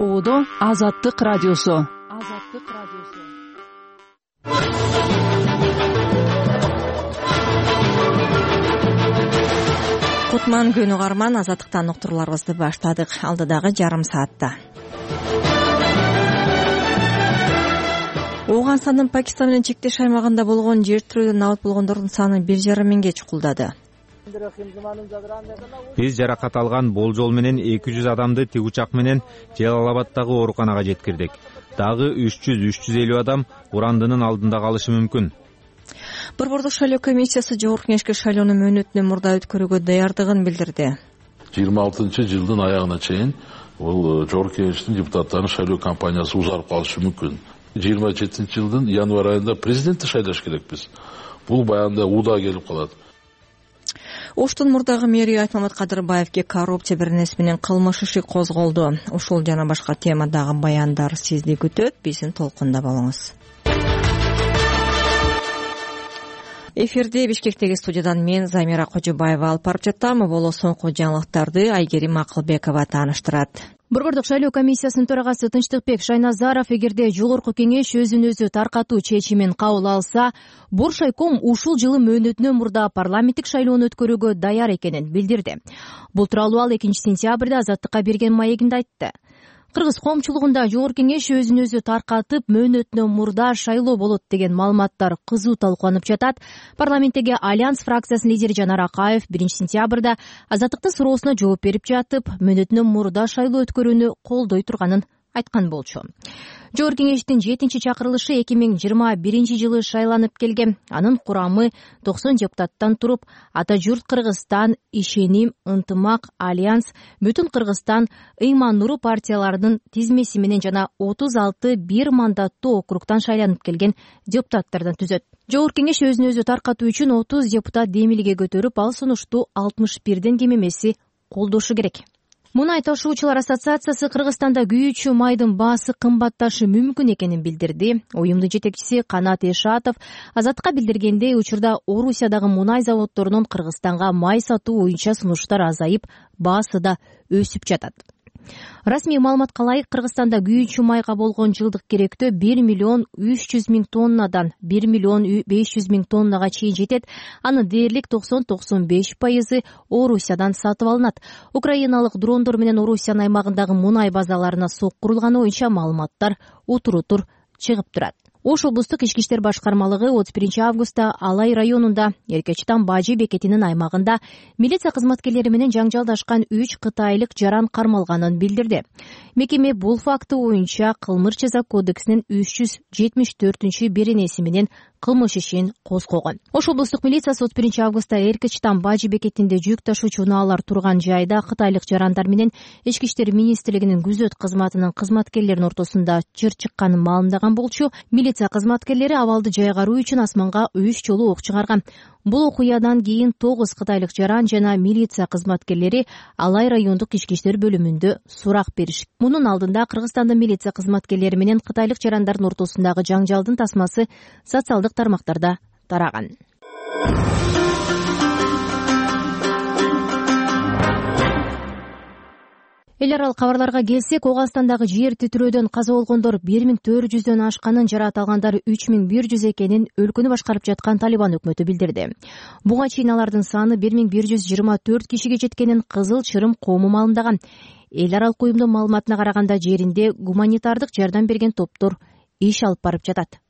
Оодо Азаттык радиосу. Кутман күнү карман азаттыктан уктурууларыбызды баштадык. Алдыдагы жарым саатта Ооганстандын Пакистан менен чектеш аймагында болгон жер тирөөдөн алып болгондордун саны 1,5 миңге чукулдады. Биз жаракат алган болжол менен 200 адамды тик учак менен Жалалабаддагы ооруканага жеткирдик. Дагы 300-350 адам урандынын алдында калышы мүмкүн. Борбордук шайлоо комиссиясы Жогорку Кеңешке шайлоону мөөнөтүнөн мурда өткөрүүгө даярдыгын билдирди. 26-жылдын аягына чейин бул Жогорку Кеңештин депутаттарынын шайлоо кампаниясы узарып калышы мүмкүн. 27-жылдын январь айында президентти шайлаш керекпиз. Бул баягында ууда келип калат. Оштун мурдагы мэри Айтмамат Кадырбаевге коррупция беренеси менен кылмыш иши козголду. Ушул жана башка темадагы баяндар сизди күтөт. Биздин толкунда болуңуз. Эфирде Бишкектеги студиядан мен Замира Кожобаева алып барып жатам. Боло соңку жаңылыктарды Айгерим Акылбекова тааныштырат. Борбордук шайлоо комиссиясынын төрагасы Тынчтыкбек Шайназаров эгерде Жогорку Кеңеш өзүн өзү таркатуу чечимин кабыл алса, Боршайком ушул жылы мөөнөтүнөн мурда парламенттик шайлоону өткөрүүгө даяр экенин билдирди. Бул тууралуу ал 2-сентябрда Азаттыкка берген маегинде айтты. Кыргыз коомчулугунда Жогорку Кеңеш өзүн өзү таркатып мөөнөтүнөн мурда шайлоо болот деген маалыматтар кызуу талкууланып жатат. Парламенттеги Альянс фракциясынын лидери Жанар Акаев 1-сентябрда Азаттыктын суроосуна жооп берип жатып, мөөнөтүнөн мурда шайлоо өткөрүүнү колдой турганын айткан болчу. Жогорку Кеңештин 7-чакырылышы 2021 жылы шайланып келген. Анын курамы 90 депутаттан туруп, Ата журт Кыргызстан, Ишеним, Ынтымак, Альянс, Бүтүн Кыргызстан, Ыйман Нуру партияларынын тизмеси менен жана 36 бир мандаттуу округтан шайланып келген депутаттардан түзөт. Жогорку Кеңеш өзүн өзү таркатуу үчүн 30 депутат демилге көтөрүп, ал сунушту 61ден кем эмеси колдошу керек. Мунай ташуучулар ассоциациясы Кыргызстанда күйүүчү майдын баасы кымбатташы мүмкүн экенин билдирди. Уюмдун жетекчиси Канат Эшатов Азаттыкка билдиргендей, учурда Орусиядагы мунай заводдорунун Кыргызстанга май сатуу боюнча сунуштар азайып, баасы да өсүп жатат. Расмий маалыматка ылайык, Кыргызстанда күйүүчү майга болгон жылдык керектөө 1,3 миллион тоннадан 1,5 миллион тоннага чейин жетет. Анын дээрлик 90-95% Орусиядан сатып алынат. Украиналык дрондор менен Орусиянын аймагындагы мунай базаларына соккурулганы боюнча маалыматтар утур-утур чыгып турат. Ош облустук ички иштер башкармалыгы 31 августта Алай районунда Эркечтан Бажы бекетинин аймагында милиция кызматкерлери менен жаңжалдашкан 3 кытайлык жаран кармалганын билдирди. Мекеме бул факты боюнча Кылмыш жаза кодексинин 374 беренеси менен кылмыш ишин козгогон. Ош облустук милициясы 31 августта Эркечтан Бажы бекетинде жүк ташуучу унаалар турган жайда кытайлык жарандар менен Ички иштер министрлигинин күзөт кызматынын кызматкерлеринин ортосунда чыр чыкканын маалымдаган болчу. Милиция кызматкерлери абалды жайгаруу үчүн асманга 3 жолу ок чыгарган. Бул окуядан кийин 9 кытайлык жаран жана милиция кызматкерлери Алай райондук ички иштер бөлүмүндө сурак беришти. Мунун алдында Кыргызстандын милиция кызматкерлери менен кытайлык жарандардын ортосундагы жаңжалдын тасмасы социалдык тармактарда тараган. Эл аралык кабарларга келсек, Ооганстандагы жер титирөөдөн каза болгондор 1400дөн ашканын, жараат алгандар 3100 экенин өлкөнү башкарып жаткан Талибан өкмөтү билдирди. Буга чейин алардын саны 1124 кишиге жеткенин Кызыл Чырым коому маалымдаган. Эл аралык уюмдун маалыматына караганда, жеринде гуманитардык жардам берген топтор иш алып барып жатат.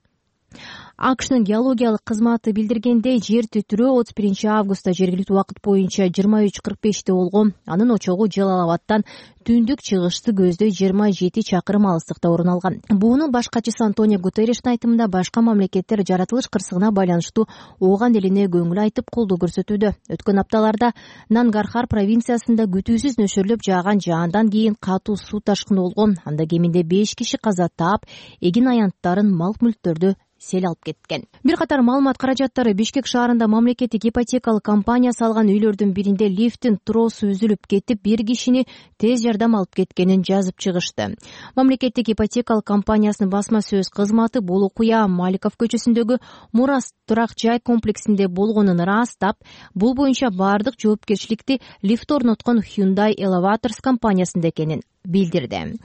АКШнын геологиялык кызматы билдиргендей, жер титирөө 31 августта жергиликтүү убакыт боюнча 23:45 болгон. Анын очогу Жалалабадтан түндүк чыгышты көздөй 27 чакырым алыстыкта орун алган. Буунун баш катчысы Антонио Гутерриштин айтымында, башка мамлекеттер жаратылыш кырсыгына байланыштуу Ооган элине көңүл айтып колдоо көрсөтүүдө. Өткөн апталарда Нангархар провинциясында күтүүсүз нөшөрлөп жааган жаандан кийин катуу суу ташкыны болгон. Анда кеминде 5 киши каза таап, эгин аянттарын, мал мүлктөрдү сел алып кеткен. Бир катар маалымат каражаттары Бишкек шаарында мамлекеттик ипотекалык компания салган үйлөрдүн биринде лифттин тросу үзүлүп кетип, бир кишини тез жардам алып кеткенин жазып чыгышты. Мамлекеттик ипотекалык компаниясынын басма сөз кызматы бул окуя Маликов көчөсүндөгү Мурас турак жай комплексинде болгонун ырастап, бул боюнча бардык жоопкерчиликти лифт орноткон Hyundai Elevators компаниясында экенин билдирди.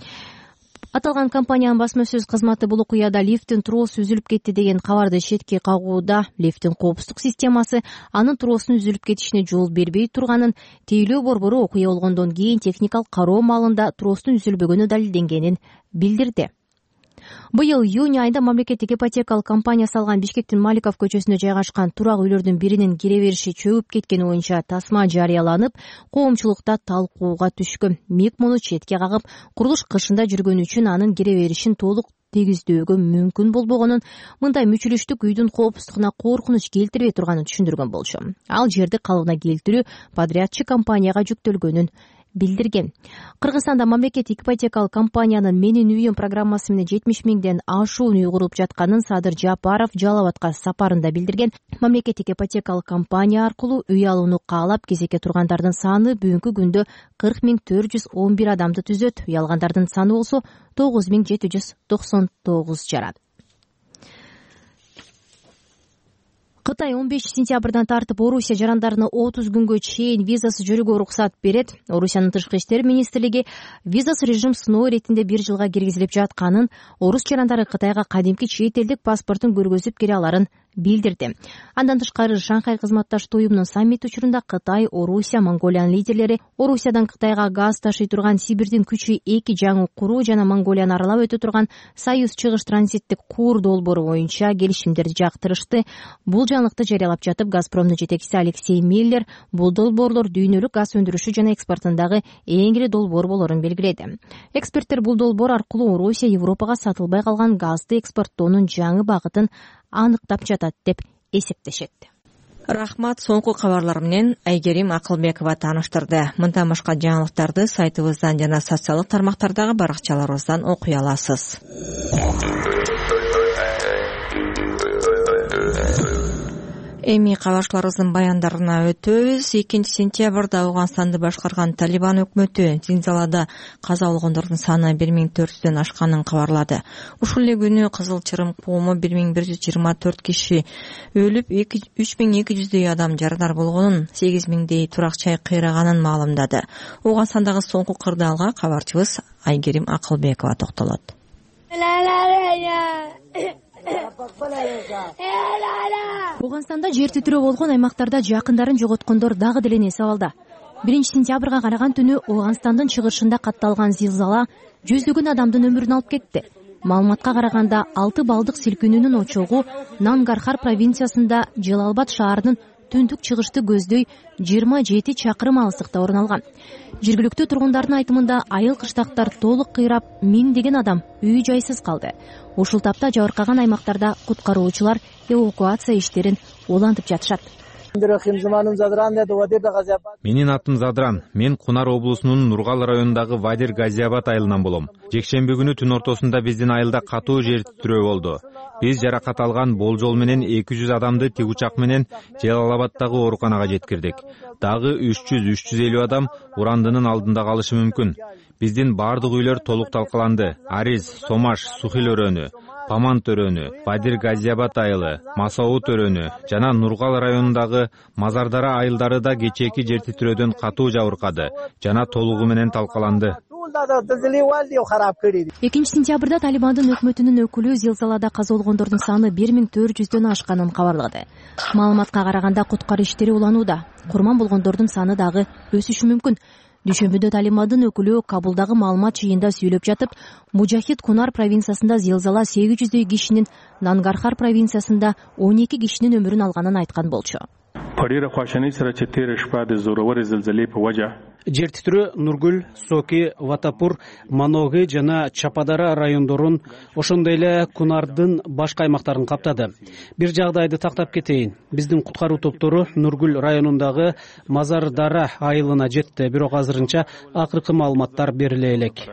Аталган компаниянын басма сөз кызматы бул окуяда лифттин тросу үзүлүп кетти деген кабарды четке кагууда. Лифттин коопсуздук системасы анын тросунун үзүлүп кетишине жол бербей турганын, тейлөө борбору окуя болгондон кийин техникалык кароо маалында тростун үзүлбөгөнү далилденгенин билдирди. Быйыл июнь айында мамлекеттик ипотекалык компания салган Бишкектин Маликов көчөсүндө жайгашкан турак үйлөрдүн биринин кире бериши чөгүп кеткени боюнча тасма жарыяланып, коомчулукта талкууга түшкөн. МИК муну четке кагып, курулуш кышында жүргөнү үчүн анын кире беришин толук тийгиздөөгө мүмкүн болбогонун, мындай мүчүлүштүк үйдүн коопсуздугуна коркунуч келтирбей турганын түшүндүргөн болчу. Ал жерди калыбына келтирүү подрядчы компанияга жүктөлгөнүн билдирген. Кыргызстанда мамлекеттик ипотекалык компаниянын Менин үйүм программасы менен 70 миңден ашуун үй курулуп жатканын Садыр Жапаров Жалал Абадка сапарында билдирген. Мамлекеттик ипотекалык компания аркылуу үй алууну каалап кезекке тургандардын саны бүгүнкү күндө 40.411 адамды түзөт. Үй алгандардын саны болсо 9.799 жарат. Кытай 15 сентябрдан тартып Орусия жарандарына 30 күнгө чейин визасыз жүрүүгө уруксат берет. Орусиянын тышкы иштер министрлиги визасыз режим сыноо иретинде 1 жылга киргизилип жатканын, орус жарандары Кытайга кадимки чет элдик паспортун көргөзүп кире аларын билдирди. Андан тышкары Шанхай кызматташтык уюмунун саммит учурунда Кытай, Орусия, Монголиянын лидерлери Орусиядан Кытайга газ ташый турган Сибирдин күчү 2 жаңы куруу жана Монголияны аралап өтө турган Союз чыгыш транзиттик куур долбоору боюнча келишимдерди жактырышты. Бул жаңылыкты жарыялап жатып, Газпромдун жетекчиси Алексей Миллер бул долбоорлор дүйнөлүк газ өндүрүшү жана экспортундагы эң ири долбоор болорун белгиледи. Эксперттер бул долбоор аркылуу Орусия Европага сатылбай калган газды экспорттоонун жаңы багытын аныктап жатат деп эсептешет. Рахмат. Соңку кабарлар менен Айгерим Акылбекова тааныштырды. Мындан башка жаңылыктарды сайтыбыздан жана социалдык тармактардагы баракчаларыбыздан окуй аласыз. Эми кабарчыларыбыздын баяндарына өтөбүз. 2 сентябрда Ауганстанды башкарган Талибан өкмөтү Зилзалада каза болгондордун саны 1400дөн ашканын кабарлады. Ушул эле күнү Кызыл Чырым кооmu 1124 киши өлүп, 3200дөй адам жарадар болгонун, 8000дей турак жай кыйраганын маалымдады. Ауганстандагы соңку кырдаалга кабарчыбыз Айгерим Акылбекова токтолот. Ауганстанда жер титирөө болгон аймактарда жакындарын жоготкондор дагы деле эс абалда. 1 сентябрга караган түнү Ауганстандын чыгышында катталган зилзала жүздөгөн адамдын өмүрүн алып кетти. Маалыматка караганда 6 балдык силкинүүнүн очогу Нангархар провинциясында Жалалбад шаарынын түндүк чыгышты көздөй 27 чакырым алыстыкта орун алган. Жергиликтүү тургундардын айтымында айыл кыштактар толук кыйрап, миңдеген адам үй жайсыз калды. Ушул тапта жабыркаган аймактарда куткаруучулар эвакуация иштерин улантып жатышат. Менин атым Задран. Мен Кунар облусунун Нургал районундагы Вадир Газиабад айылынан болом. Жекшемби күнү түн ортосунда биздин айылда катуу жер титирөө болду. Биз жаракат алган болжол менен 200 адамды тик учак менен Жалалабадтагы ооруканага жеткирдик. Дагы 300-350 адам урандынын алдында калышы мүмкүн. Биздин бардык үйлөр толук талкаланды. Ариз, Сомаш, Сухил өрөөнү, Памант өрөөнү, Вадир Газиабад айылы, Масаут өрөөнү жана Нургал районундагы Мазардара айылдары да кечээки жер титирөөдөн катуу жабыркады жана толугу менен талкаланды. 2 сентябрда Талибандын өкмөтүнүн өкүлү зилзалада каза болгондордун саны 1400дөн ашканын кабарлады. Маалыматка караганда куткаруу иштери уланууда. Курман болгондордун саны дагы өсүшү мүмкүн. Дүйшөмбүдө Талибандын өкүлү Кабулдагы маалымат чыйында сүйлөп жатып, Мужахид Кунар провинциясында зилзала 800дөй кишинин, Нангархар провинциясында 12 кишинин өмүрүн алганын айткан болчу. Жер титирөө Нургүл, Соки, Ватапур, Маногы жана Чападара райондорун, ошондой эле Кунардын башка аймактарын каптады. Бир жагдайды тактап кетейин. Биздин куткаруу топтору Нургүл районундагы Мазардара айылына жетти, бирок азырынча акыркы маалыматтар бериле элек.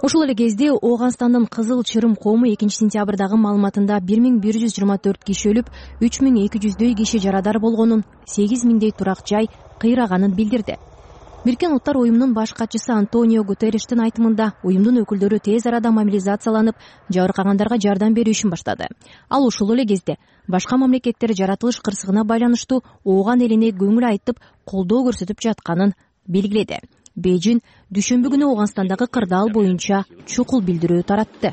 Ушул эле кезде Ауганстандын Кызыл Чырым коому 2 сентябрдагы маалыматында 1124 киши өлүп, 3200дөй киши жарадар болгонун, 8000дей турак жай кыйраганын билдирди. Бириккен Уттар уюмунун баш катчысы Антонио Гутерриштин айтымында, уюмдун өкүлдөрү тез арада мобилизацияланып, жабыркагандарга жардам берүү ишин баштады. Ал ушул эле кезде башка мамлекеттер жаратылыш кырсыгына байланыштуу Ооган элине көңүл айтып, колдоо көрсөтүп жатканын белгиледи. Бейжин дүйшөмбү күнү Ооганстандагы кырдаал боюнча чукул билдирүү таратты.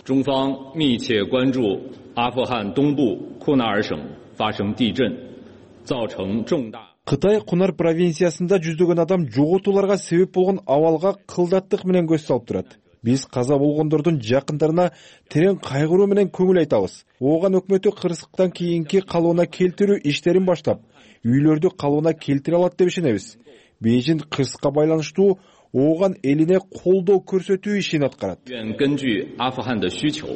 中方密切关注阿富汗东部库纳尔省发生地震，造成重大。 Кытай Кунар провинциясында жүздөгөн адам жоготууларга себеп болгон абалга кылдаттык менен көз салып турат. Биз каза болгондордун жакындарына терең кайгыруу менен көңүл айтабыз. Ооган өкмөтү кырсыктан кийинки калыбына келтирүү иштерин баштап, үйлөрдү калыбына келтире алат деп ишенебиз. Бейжин кырсыкка байланыштуу Ооган элине колдоо көрсөтүү ишин аткарат. 根据阿富汗的需求，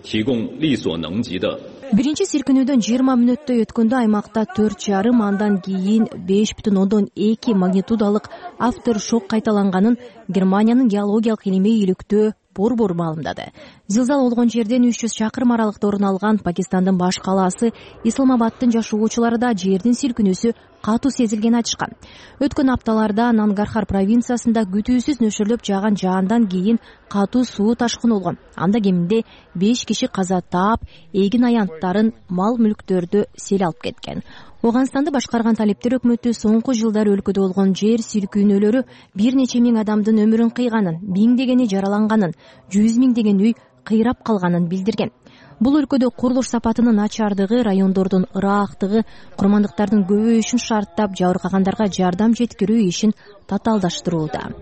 提供力所能及的。 Биринчи силкинүүдөн 20 мүнөттөй өткөндө аймакта 4,5 андан кийин 5,2 магнитудалык авторшок кайталанганын Германиянын геологиялык илимий иликтөө борбору маалымдады. Зилзал болгон жерден 300 чакырым аралыкта орун алган Пакистандын баш калаасы Исламабадтын жашоочулары да жердин силкинүүсү катуу сезилгенин айтышкан. Өткөн апталарда Нангархар провинциясында күтүүсүз нөшөрлөп жааган жаандан кийин катуу суу ташкыны болгон. Анда кеминде 5 киши каза таап, эгин аянттарын, мал мүлктөрдү сел алып кеткен. Ооганстанды башкарган талептер өкмөтү соңку жылдары өлкөдө болгон жер силкүүнөлөрү бир нече миң адамдын өмүрүн кыйганын, миңдегени жараланганын, 100 миңдеген үй кыйрап калганын билдирген. Бул өлкөдө курулуш сапатынын начардыгы, райондордун ыраактыгы, курмандыктардын көбөйүшүн шарттап, жабыркагандарга жардам жеткирүү ишин татаалдаштырууда.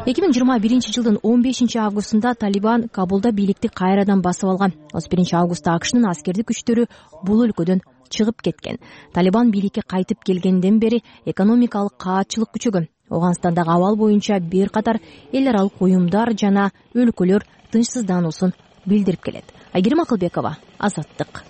2021 жылдын 15 августунда Талибан Кабулда бийликти кайрадан басып алган. 31 августта АКШнын аскердик күчтөрү бул өлкөдөн чыгып кеткен. Талибан бийликке кайтып келгенден бери экономикалык каатчылык күчөгөн. Ооганстандагы абал боюнча бир катар эл аралык уюмдар жана өлкөлөр тынчсыздануусун билдирип келет. Айгерим Акылбекова, Азаттык.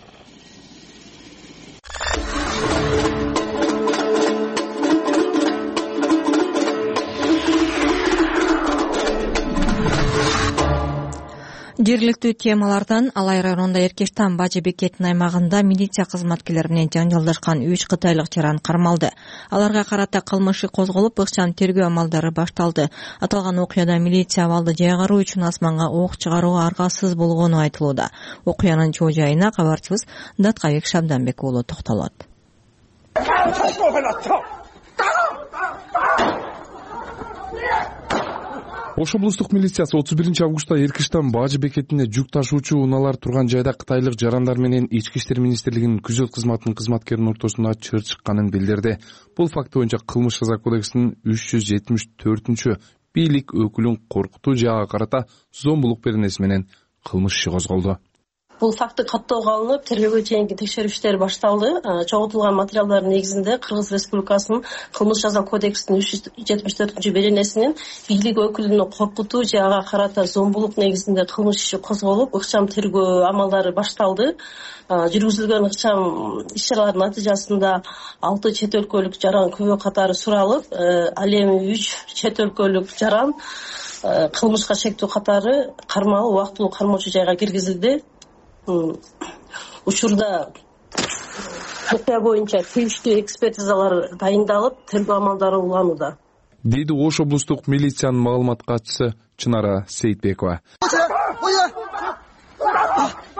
Жергиликтүү темалардан Алай районунда Эркештан Бажы бекетинин аймагында милиция кызматкерлери менен жаңжалдашкан 3 кытайлык жаран кармалды. Аларга карата кылмыш иш козголуп, ыкчам тергөө амалдары башталды. Аталган окуяда милиция абалды жайгаруу үчүн асманга ок чыгарууга аргасыз болгону айтылууда. Окуянын чоо жайына кабарчыбыз Даткабек Шабданбек уулу токтолот. Ош облустук милициясы 31 августта Эркештан Бажы бекетине жүк ташуучу унаалар турган жайда кытайлык жарандар менен Ички иштер министрлигинин күзөт кызматынын кызматкеринин ортосунда чыр чыкканын билдирди. Бул факт боюнча кылмыш жаза кодексинин 374 бийлик өкүлүн коркутуу жагы карата зомбулук беренеси менен кылмыш иши козголду. Бул факты каттоого алынып, тергөөгө чейинки текшерүү иштери башталды. Чогултулган материалдардын негизинде Кыргыз Республикасынын кылмыш жаза кодексинин 374 беренесинин бийлик өкүлүн коркутуу жагы карата зомбулук негизинде кылмыш иши козголуп, ыкчам тергөө амалдары башталды. Жүргүзүлгөн ыкчам иш-чаралардын натыйжасында 6 чет өлкөлүк жаран күбө катары суралып, ал эми 3 чет өлкөлүк жаран кылмышка шектүү катары кармалып, убактылуу кармоочу жайга киргизилди. Учурда окуя боюнча тийиштүү экспертизалар дайындалып, тергөө амалдары уланууда, дейди Ош облустук милициянын маалымат катчысы Чынара Сейитбекова.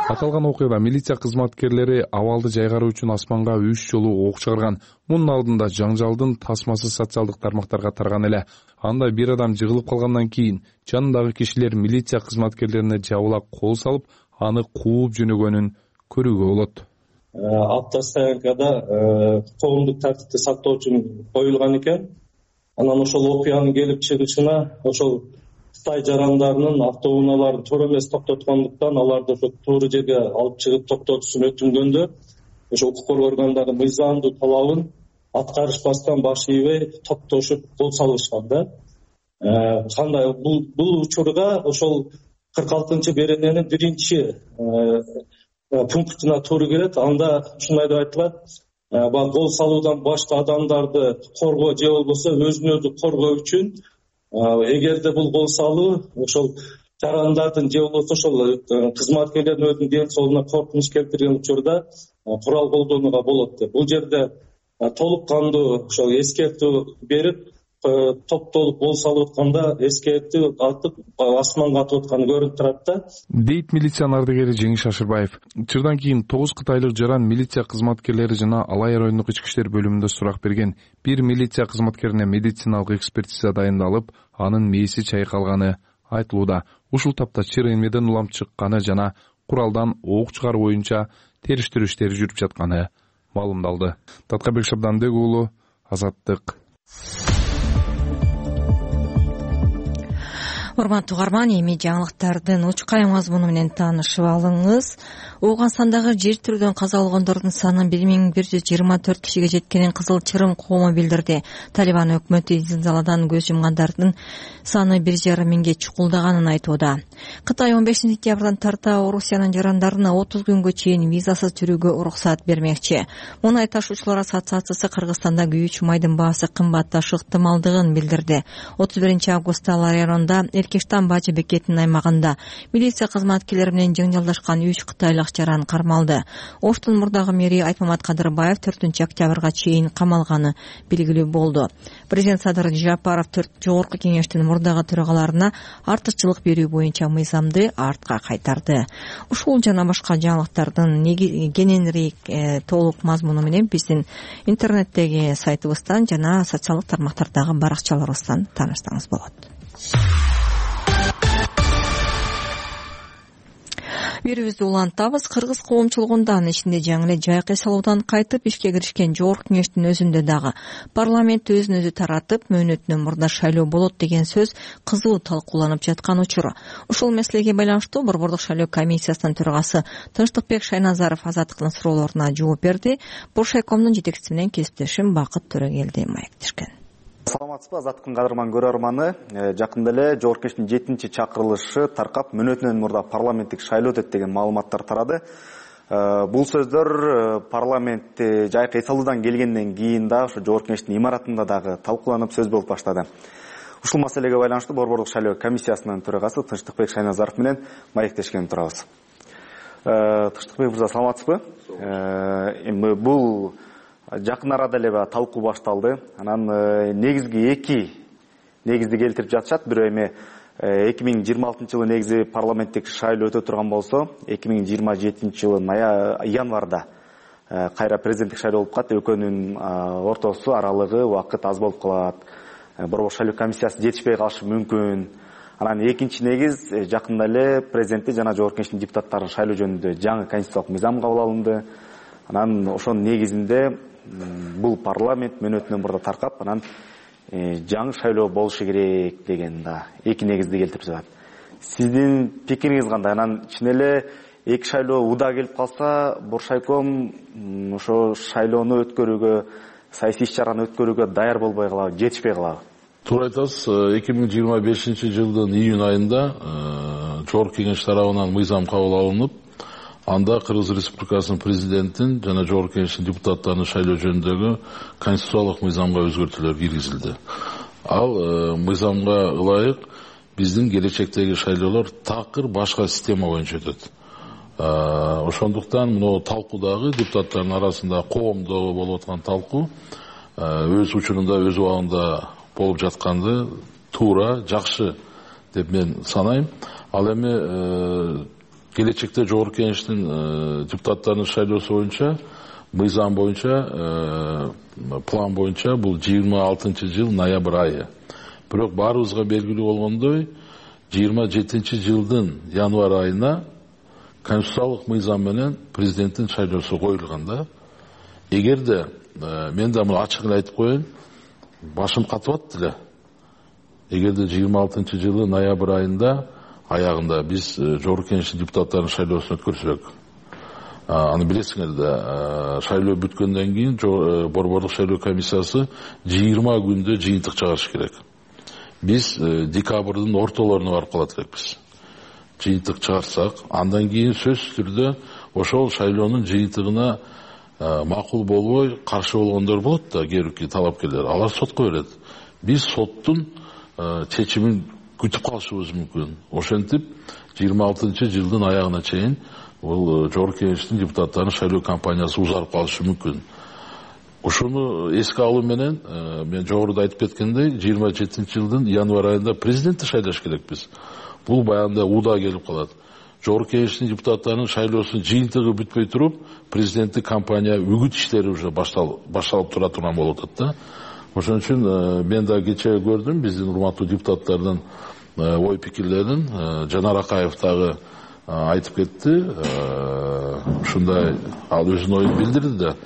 Аталган окуяда милиция кызматкерлери абалды жайгаруу үчүн асманга 3 жолу ок чыгарган. Мунун алдында жаңжалдын тасмасы социалдык тармактарга тарган эле. Анда бир адам жыгылып калгандан кийин жанындагы кишилер милиция кызматкерлерине жабыла кол салып, аны кууп жөнөгөнүн көрүүгө болот. Автостоянкада коомдук тартипти сактоо үчүн коюлган экен. Анан ошол окуянын келип чыгышына ошол Кытай жарандарынын автоунааларын туура эмес токтоткондуктан аларды ошо туура жерге алып чыгып токтотуусун өтүнгөндө ошо укук коргоо органдарынын мыйзамдуу талабын аткарышпастан баш ийбей токтошуп кол салышкан да. Кандай бул учурга ошол 46 берененин биринчи пунктуна туура келет. Анда ушундай деп айтылат: кол салуудан башка адамдарды коргоо же болбосо өзүн өзү коргоо үчүн эгерде бул кол салуу ошол жарандардын же болбосо ошол кызматкерлердин өзүнүн ден соолугуна коркунуч келтирген учурда курал колдонууга болот деп. Бул жерде толук кандуу ошол эскертүү берип, топтолуп кол салып атканда эскерти атып асманга атып атканы көрүнүп турат да, дейт милициянын ардыгери Жеңиш Ашырбаев. Чырдан кийин 9 кытайлык жаран милиция кызматкерлери жана Алай райондук ички иштер бөлүмүндө сурак берген. Бир милиция кызматкерине медициналык экспертиза дайындалып, анын мээси чайкалганы айтылууда. Ушул тапта чыр эмнеден улам чыкканы жана куралдан ок чыгаруу боюнча териштирүү иштери жүрүп жатканы маалымдалды. Таткабек Шабданбек уулу, Азаттык. Урматтуу угарман, эми жаңылыктардын учкай мазмуну менен таанышып алыңыз. Ооганстандагы жер тирүүдөн каза болгондордун саны 1124 кишиге жеткенин Кызыл Чырым коому билдирди. Талибан өкмөтү зилзаладан көз жумгандардын саны 1,5 миңге чукулдаганын айтууда. Кытай 15 сентябрдан тарта Орусиянын жарандарына 30 күнгө чейин визасыз жүрүүгө уруксат бермекчи. Мунай ташуучулар ассоциациясы Кыргызстанда күйүүчү майдын баасы кымбатташы ыктымалдыгын билдирди. 31 августта Алай районунда Эркештан бажы бекетинин аймагында милиция кызматкерлери менен жаңжалдашкан 3 кытайлык жаран кармалды. Оштун мурдагы мэри Айтмамат Кадырбаев 4 октябрга чейин камалганы белгилүү болду. Президент Садыр Жапаров жогорку кеңештин мурдагы төрагаларына артыкчылык берүү боюнча мыйзамды артка кайтарды. Ушул жана башка жаңылыктардын кененирээк толук мазмуну менен биздин интернеттеги сайтыбыздан жана социалдык тармактардагы баракчаларыбыздан таанышсаңыз болот. Берүүбүздү улантабыз. Кыргыз коомчулугунда, анын ичинде жаңы эле жайкы салуудан кайтып ишке киришкен жогорку кеңештин өзүндө дагы парламент өзүн өзү таратып, мөөнөтүнөн мурда шайлоо болот деген сөз кызуу талкууланып жаткан учур. Ушул маселеге байланыштуу Борбордук шайлоо комиссиясынын төрагасы Тынчтыкбек Шайназаров Азаттыктын суроолоруна жооп берди. Боршайкомдун жетекчиси менен кесиптешим Бакыт Төрөгелди маектешкен. Саламатсызбы, Азаттыктын кадырман көрөрманы. Жакында эле жогорку кеңештин 7-чакырылышы таркап, мөөнөтүнөн мурда парламенттик шайлоо өтөт деген маалыматтар тарады. Бул сөздөр парламентте жайкы эс алуудан келгенден кийин да ошо жогорку кеңештин имаратында дагы талкууланып сөз болуп баштады. Ушул маселеге байланыштуу Борбордук шайлоо комиссиясынын төрагасы Тынчтыкбек Шайназаров менен маектешкен турабыз. Тынчтыкбек мырза, саламатсызбы? Эми бул жакын арада эле талкуу башталды. Анан негизги эки негизди келтирип жатышат. Бирөө эми 2026 жылы негизи парламенттик шайлоо өтө турган болсо, 2027 жылы январда кайра президенттик шайлоо болуп калат. Экөөнүн ортосу аралыгы убакыт аз болуп калат. Борбордук шайлоо комиссиясы жетишпей калышы мүмкүн. Анан экинчи негиз, жакында эле президентти жана жогорку кеңештин депутаттарын шайлоо жөнүндө жаңы конституциялык мыйзам кабыл алынды. Анан ошонун негизинде бул парламент мөөнөтүнөн мурда таркап, анан жаңы шайлоо болушу керек деген да эки негизди келтирип жатат. Сиздин пикириңиз кандай? Анан чын эле эки шайлоо уда келип калса, Боршайком ошо шайлоону өткөрүүгө, саясий иш-чараны өткөрүүгө даяр болбой калабы, жетишпей калабы? Туура айтасыз. 2025 жылдын июнь айында жогорку кеңеш тарабынан мыйзам кабыл алынып, анда Кыргыз Республикасынын президентин жана жогорку кеңештин депутаттарынын шайлоо жөнүндөгү конституциялык мыйзамга өзгөртүүлөр киргизилди. Ал мыйзамга ылайык биздин келечектеги шайлоолор такыр башка система боюнча өтөт. Ошондуктан мына талкуудагы депутаттардын арасында коомдо болуп аткан талкуу өз учурунда, өз убагында болуп жатканды туура, жакшы деп мен санайм. Ал эми келечекте жогорку кеңештин депутаттарынын шайлоосу боюнча, мыйзам боюнча, план боюнча бул 26 жыл ноябрь айы. Бирок баарыбызга белгилүү болгондой, 27 жылдын январь айына конституциялык мыйзам менен президенттин шайлоосу коюлган да. Эгерде мен да муну ачык эле айтып коеюн, башым катып атты эле. Эгерде 26 жылы ноябрь айында аягында биз жогорку кеңештин депутаттарынын шайлоосун өткөрсөк, аны билесиңер да, шайлоо бүткөндөн кийин Борбордук шайлоо комиссиясы 20 күндө жыйынтык чыгарыш керек. Биз декабрдын ортолоруна барып калат элекпиз. Жыйынтык чыгарсак, андан кийин сөзсүз түрдө ошол шайлоонун жыйынтыгына макул болбой, каршы болгондор болот да, кээ бирки талапкерлер. Алар сотко берет. Биз соттун чечимин күтүп калышыбыз мүмкүн. Ошентип 26 жылдын аягына чейин бул жогорку кеңештин депутаттарынын шайлоо кампаниясы узарып калышы мүмкүн. ушуну эске алуу менен мен жогоруда айтып кеткендей 27-жылдын январь айында президентти шайлаш керекпиз. Бул баягында ууда келип калат. Жогорку Кеңештин депутаттарынын шайлоосунун жыйынтыгы бүтпөй туруп, президенттик кампания үгүт иштери уже башталып тура турган болуп атат да. Ошон үчүн мен да кечээ көрдүм биздин урматтуу депутаттардын ой пикирлерин. Жанар Акаев дагы айтып кетти. Ушундай ал өзүнүн оюн билдирди да.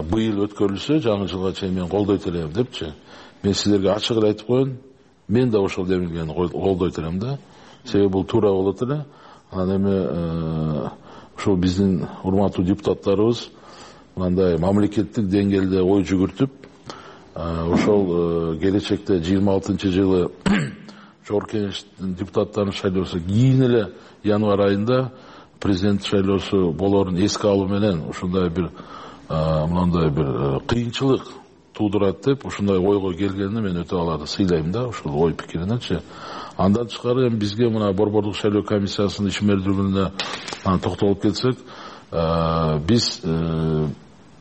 Быйыл өткөрүлсө жаңы жылга чейин мен колдойт элем депчи. Мен силерге ачык эле айтып коеюн, мен да ошол демилгени колдойт элем да. Себеби бул туура болот эле. Анан эми ошол биздин урматтуу депутаттарыбыз мындай мамлекеттик деңгээлде ой жүгүртүп, ошол келечекте 26-жылы Жогорку Кеңештин депутаттарынын шайлоосу кийин эле январь айында президент шайлоосу болоорун эске алуу менен ушундай бир мындай бир кыйынчылык туудурат деп ушундай ойго келгенине мен өтө аларды сыйлайм да, ушул ой пикиринечи. Андан тышкары эми бизге мына Борбордук шайлоо комиссиясынын ишмердүүлүгүнө токтолуп кетсек, биз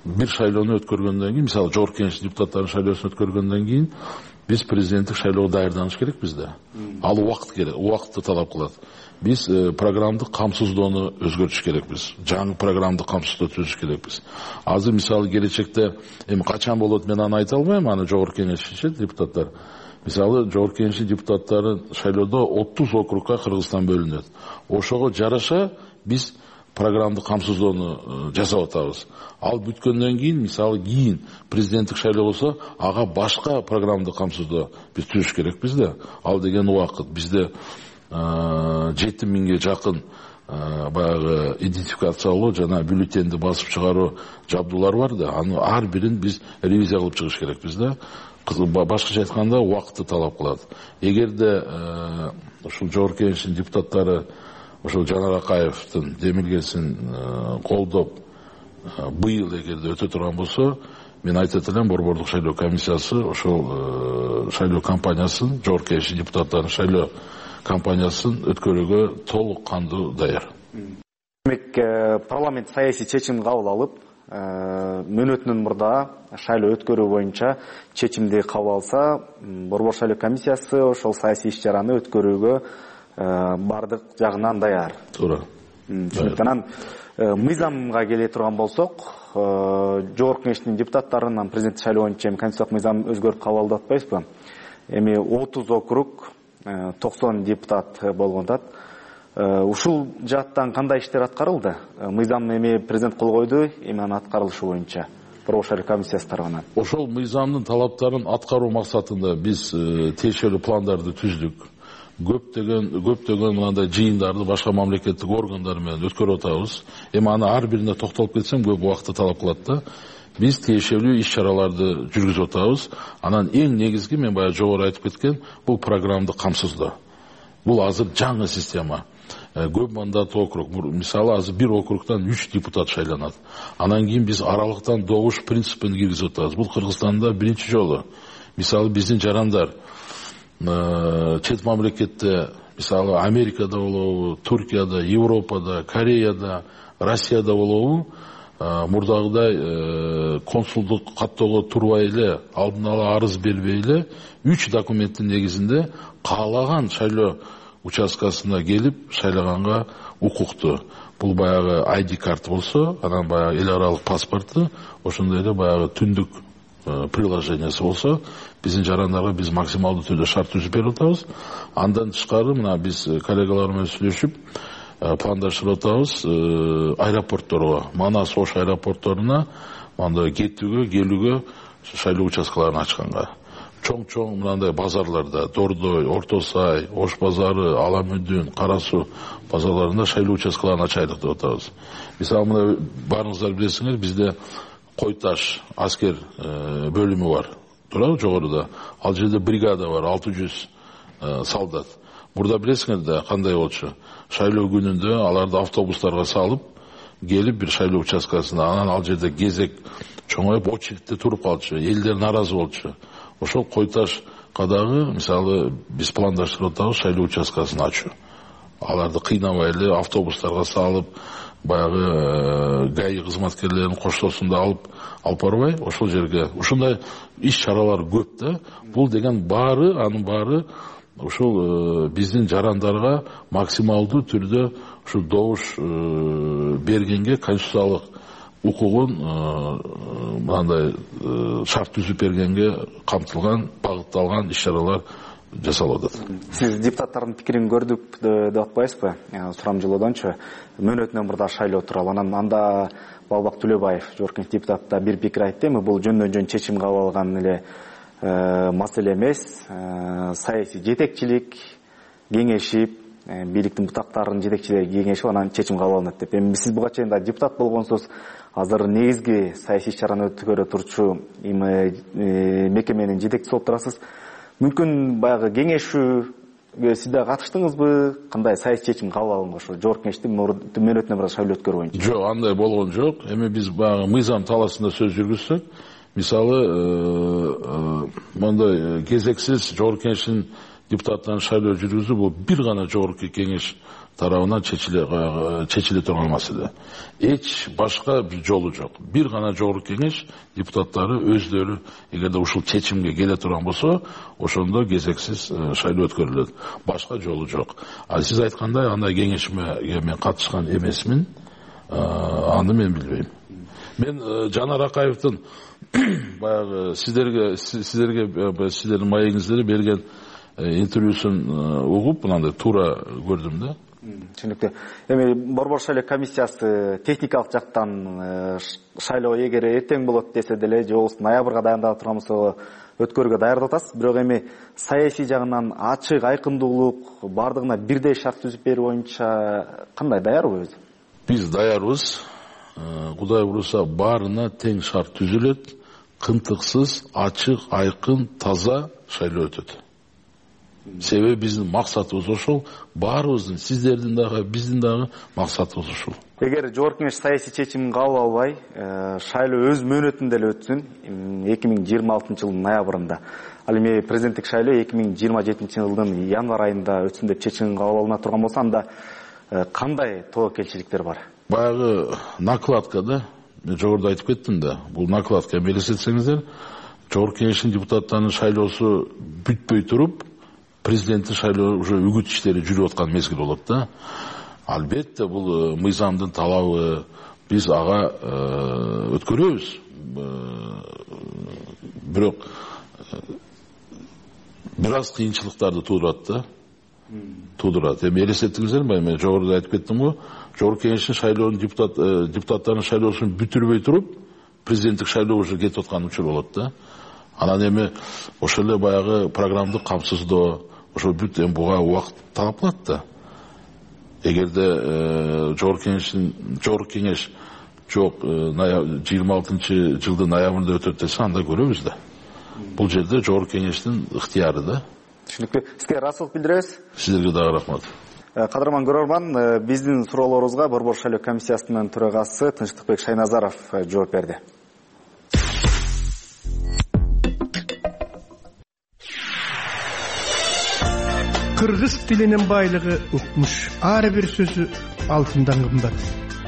бир шайлоону өткөргөндөн кийин, мисалы Жогорку Кеңештин депутаттарынын шайлоосун өткөргөндөн кийин биз президенттик шайлоого даярданыш керекпиз да. Ал убакыт керек, убакытты талап кылат. Биз программдык камсыздоону өзгөртүш керекпиз. Жаңы программдык камсыздоо түзүш керекпиз. Азыр мисалы келечекте эми качан болот мен аны айта албайм, аны Жогорку Кеңешчи депутаттар. Мисалы Жогорку Кеңештин депутаттары шайлоодо 30 округга Кыргызстан бөлүнөт. Ошого жараша биз программдык камсыздоону жасап атабыз. Ал бүткөндөн кийин, мисалы кийин президенттик шайлоо болсо, ага башка программдык камсыздоо биз түзүш керекпиз да. Ал деген убакыт бизде 7000ге жакын баягы идентификациялоо жана бюллетенди басып чыгаруу жабдуулар бар да. Аны ар бирин биз ревизия кылып чыгыш керекпиз да. Башкача айтканда убакытты талап кылат. Эгерде ушул Жогорку Кеңештин депутаттары ошол Жанар Акаевдин демилгесин колдоп быйыл эгерде өтө турган болсо, мен айтат элем Борбордук шайлоо комиссиясы ошол шайлоо кампаниясын, Жогорку Кеңештин депутаттарынын шайлоо кампаниясын өткөрүүгө толук кандуу даяр. Демек, парламент саясий чечим кабыл алып, мөөнөтүнөн мурда шайлоо өткөрүү боюнча чечимди кабыл алса, Борбор шайлоо комиссиясы ошол саясий иш-чараны өткөрүүгө бардык жагынан даяр. Туура. Ошондуктан мыйзамга келе турган болсок, Жогорку Кеңештин депутаттарынан президенттик шайлоо боюнча конституциялык мыйзам өзгөрүп кабыл алып атпайбызбы? Эми 30 округ, 90 депутат болгондат. Ушул жааттан кандай иштер аткарылды? Мыйзам эми президент кол койду, эми анын аткарылышы боюнча Борбор шайлоо комиссиясы тарабынан. Ошол мыйзамдын талаптарын аткаруу максатында биз тиешелүү пландарды түздүк. Көптөгөн мындай жыйындарды башка мамлекеттик органдар менен өткөрүп атабыз. Эми аны ар бирине токтолуп кетсем көп убакытты талап кылат да. Биз тиешелүү иш-чараларды жүргүзүп атабыз. Анан эң негизги мен баягы жогору айтып кеткен бул программдык камсыздоо. Бул азыр жаңы система. Көп мандаттуу округ. Мисалы азыр бир округдан 3 депутат шайланат. Анан кийин биз аралыктан добуш принципин киргизип атабыз. Бул Кыргызстанда биринчи жолу. Мисалы биздин жарандар чет мамлекетте, мисалы Америкада болобу, Туркияда, Европада, Кореяда, Россияда болобу, мурдагыдай консулдук каттоого турбай эле, алдын ала арыз бербей эле 3 документтин негизинде каалаган шайлоо участкасына келип шайлаганга укуктуу. Бул баягы ID карт болсо, анан баягы эл аралык паспорту, ошондой эле баягы түндүк приложениясы болсо, биздин жарандарга биз максималдуу түрдө шарт түзүп берип атабыз. Андан тышкары мына биз коллегалар менен сүйлөшүп пландаштырып атабыз аэропортторго, Манас Ош аэропортторуна мындай кетүүгө, келүүгө шайлоо участкаларын ачканга. Чоң-чоң мындай базарларда, Дордой, Орто Сай, Ош базары, Аламүдүн, Кара Суу базарларында шайлоо участкаларын ачайлык деп атабыз. Мисалы мына баарыңыздар билесиңер, бизде Кой Таш аскер бөлүмү бар. Туурабы жогоруда? Ал жерде бригада бар, 600 солдат. Мурда билесиңер да кандай болчу? Шайлоо күнүндө аларды автобустарга салып, келип бир шайлоо участкасына, анан ал жерде кезек чоңоюп очередте туруп калчу. Элдер наразы болчу. Ошол Кой Таш кадагы, мисалы, биз пландаштырып атабыз шайлоо участкасын ачуу. аларды кыйнабай эле автобустарга салып, баягы ГАИ кызматкерлерин коштоосунда алып барбай, ошол жерге ушундай иш чаралар көп да. Бул деген анын баары ушул биздин жарандарга максималдуу түрдө ушу добуш бергенге, конституциялык укугун мындай шарт түзүп бергенге камтылган, багытталган иш чаралар жасалып атат. Сиз депутаттардын пикирин көрдүк деп атпайсызбы? Сурам жылоодончу мөөнөтүнөн мурда шайлоо тууралуу. Анан анда Балбак Төлөбаев, Жогорку депутат да бир пикир айтты. Эми бул жөндөн жөн чечим кабыл алган эле маселе эмес. Саясий жетекчилик кеңешип, бийликтин бутактарынын жетекчилери кеңешип, анан чечим кабыл алынат деп. Эми сиз буга чейин да депутат болгонсуз, азыр негизги саясий иш-чараны өткөрө турчу мекеменин жетекчиси болуп турасыз. Мүмкүн баягы кеңешүүгө сиз да катыштыңызбы? Кандай саясий чечим кабыл алынган ошо Жогорку кеңештин мөөнөтүнө мурда шайлоо өткөрүү боюнча? Жок, андай болгон жок. Эми биз баягы мыйзам талаасында сөз жүргүзсөк, мисалы мондай кезексиз Жогорку кеңештин депутаттарын шайлоо жүргүзүү бул бир гана Жогорку кеңеш тарабынан чечиле турган маселе. Эч башка жолу жок. Бир гана Жогорку кеңеш депутаттары өздөрү эгерде ушул чечимге келе турган болсо, ошондо кезексиз шайлоо өткөрүлөт. Башка жолу жок. А сиз айткандай андай кеңешме мен катышкан эмесмин. Аны мен билбейм. Мен Жанар Акаевдин баягы сиздердин маегиңиздер берген интервьюсун угуп, мынандай туура көрдүм да. Түшүнүктүү. Эми Борбор шайлоо комиссиясы техникалык жактан шайлоо эгер эртең болот десе деле, же болбосо ноябрга дайындалып турган болсо өткөрүүгө даярдап атасыз. Бирок эми саясий жагынан ачык, айкындуулук, бардыгына бирдей шарт түзүп берүү боюнча кандай, даярбы өзү? Биз даярбыз. Кудай буюрса баарына тең шарт түзүлөт, кынтыксыз, ачык, айкын, таза шайлоо өтөт. Себеби биздин максатыбыз ошол, баарыбыздын, сиздердин дагы, биздин дагы максатыбыз ошол. Эгер Жогорку кеңеш саясий чечимин кабыл албай, шайлоо өз мөөнөтүндө эле өтсүн, 2026 жылдын ноябрында. Ал эми президенттик шайлоо 2027 жылдын январь айында өтсүн деп чечим кабыл алына турган болсо, анда кандай тобокелчиликтер бар? Баягы накладка да, мен жогоруда айтып кеттим да, бул накладка элестетсеңиздер, Жогорку кеңештин депутаттарынын шайлоосу бүтпөй туруп, президенттин шайлоо уже үгүт иштери жүрүп аткан мезгил болот да. Албетте бул мыйзамдын талабы, биз ага өткөрөбүз. Бирок бир аз кыйынчылыктарды туудурат да. Туудурат. Эми элестеттиңиздерби, мен жогоруда айтып кеттим го, Жогорку кеңештин шайлоонун депутаттарынын шайлоосун бүтүрбөй туруп, президенттик шайлоо уже кетип аткан учур болот да. Анан эми ошол эле баягы программдык камсыздоо, ошо бүт эми буга убакыт талап кылат да. Эгерде Жогорку кеңеш жок 26 жылдын ноябрында өтөт десе, анда көрөбүз да. Бул жерде Жогорку кеңештин ыктыяры да. Түшүнүктүү. Сизге ыраазычылык билдиребиз. Сиздерге дагы рахмат. Кадырман көрөрман, биздин суроолорубузга Борбор шайлоо комиссиясынын төрагасы Тынчтыкбек Шайназаров жооп берди. Кыргыз тилинин байлыгы укмуш. Ар бир сөзү алтындан кымбат.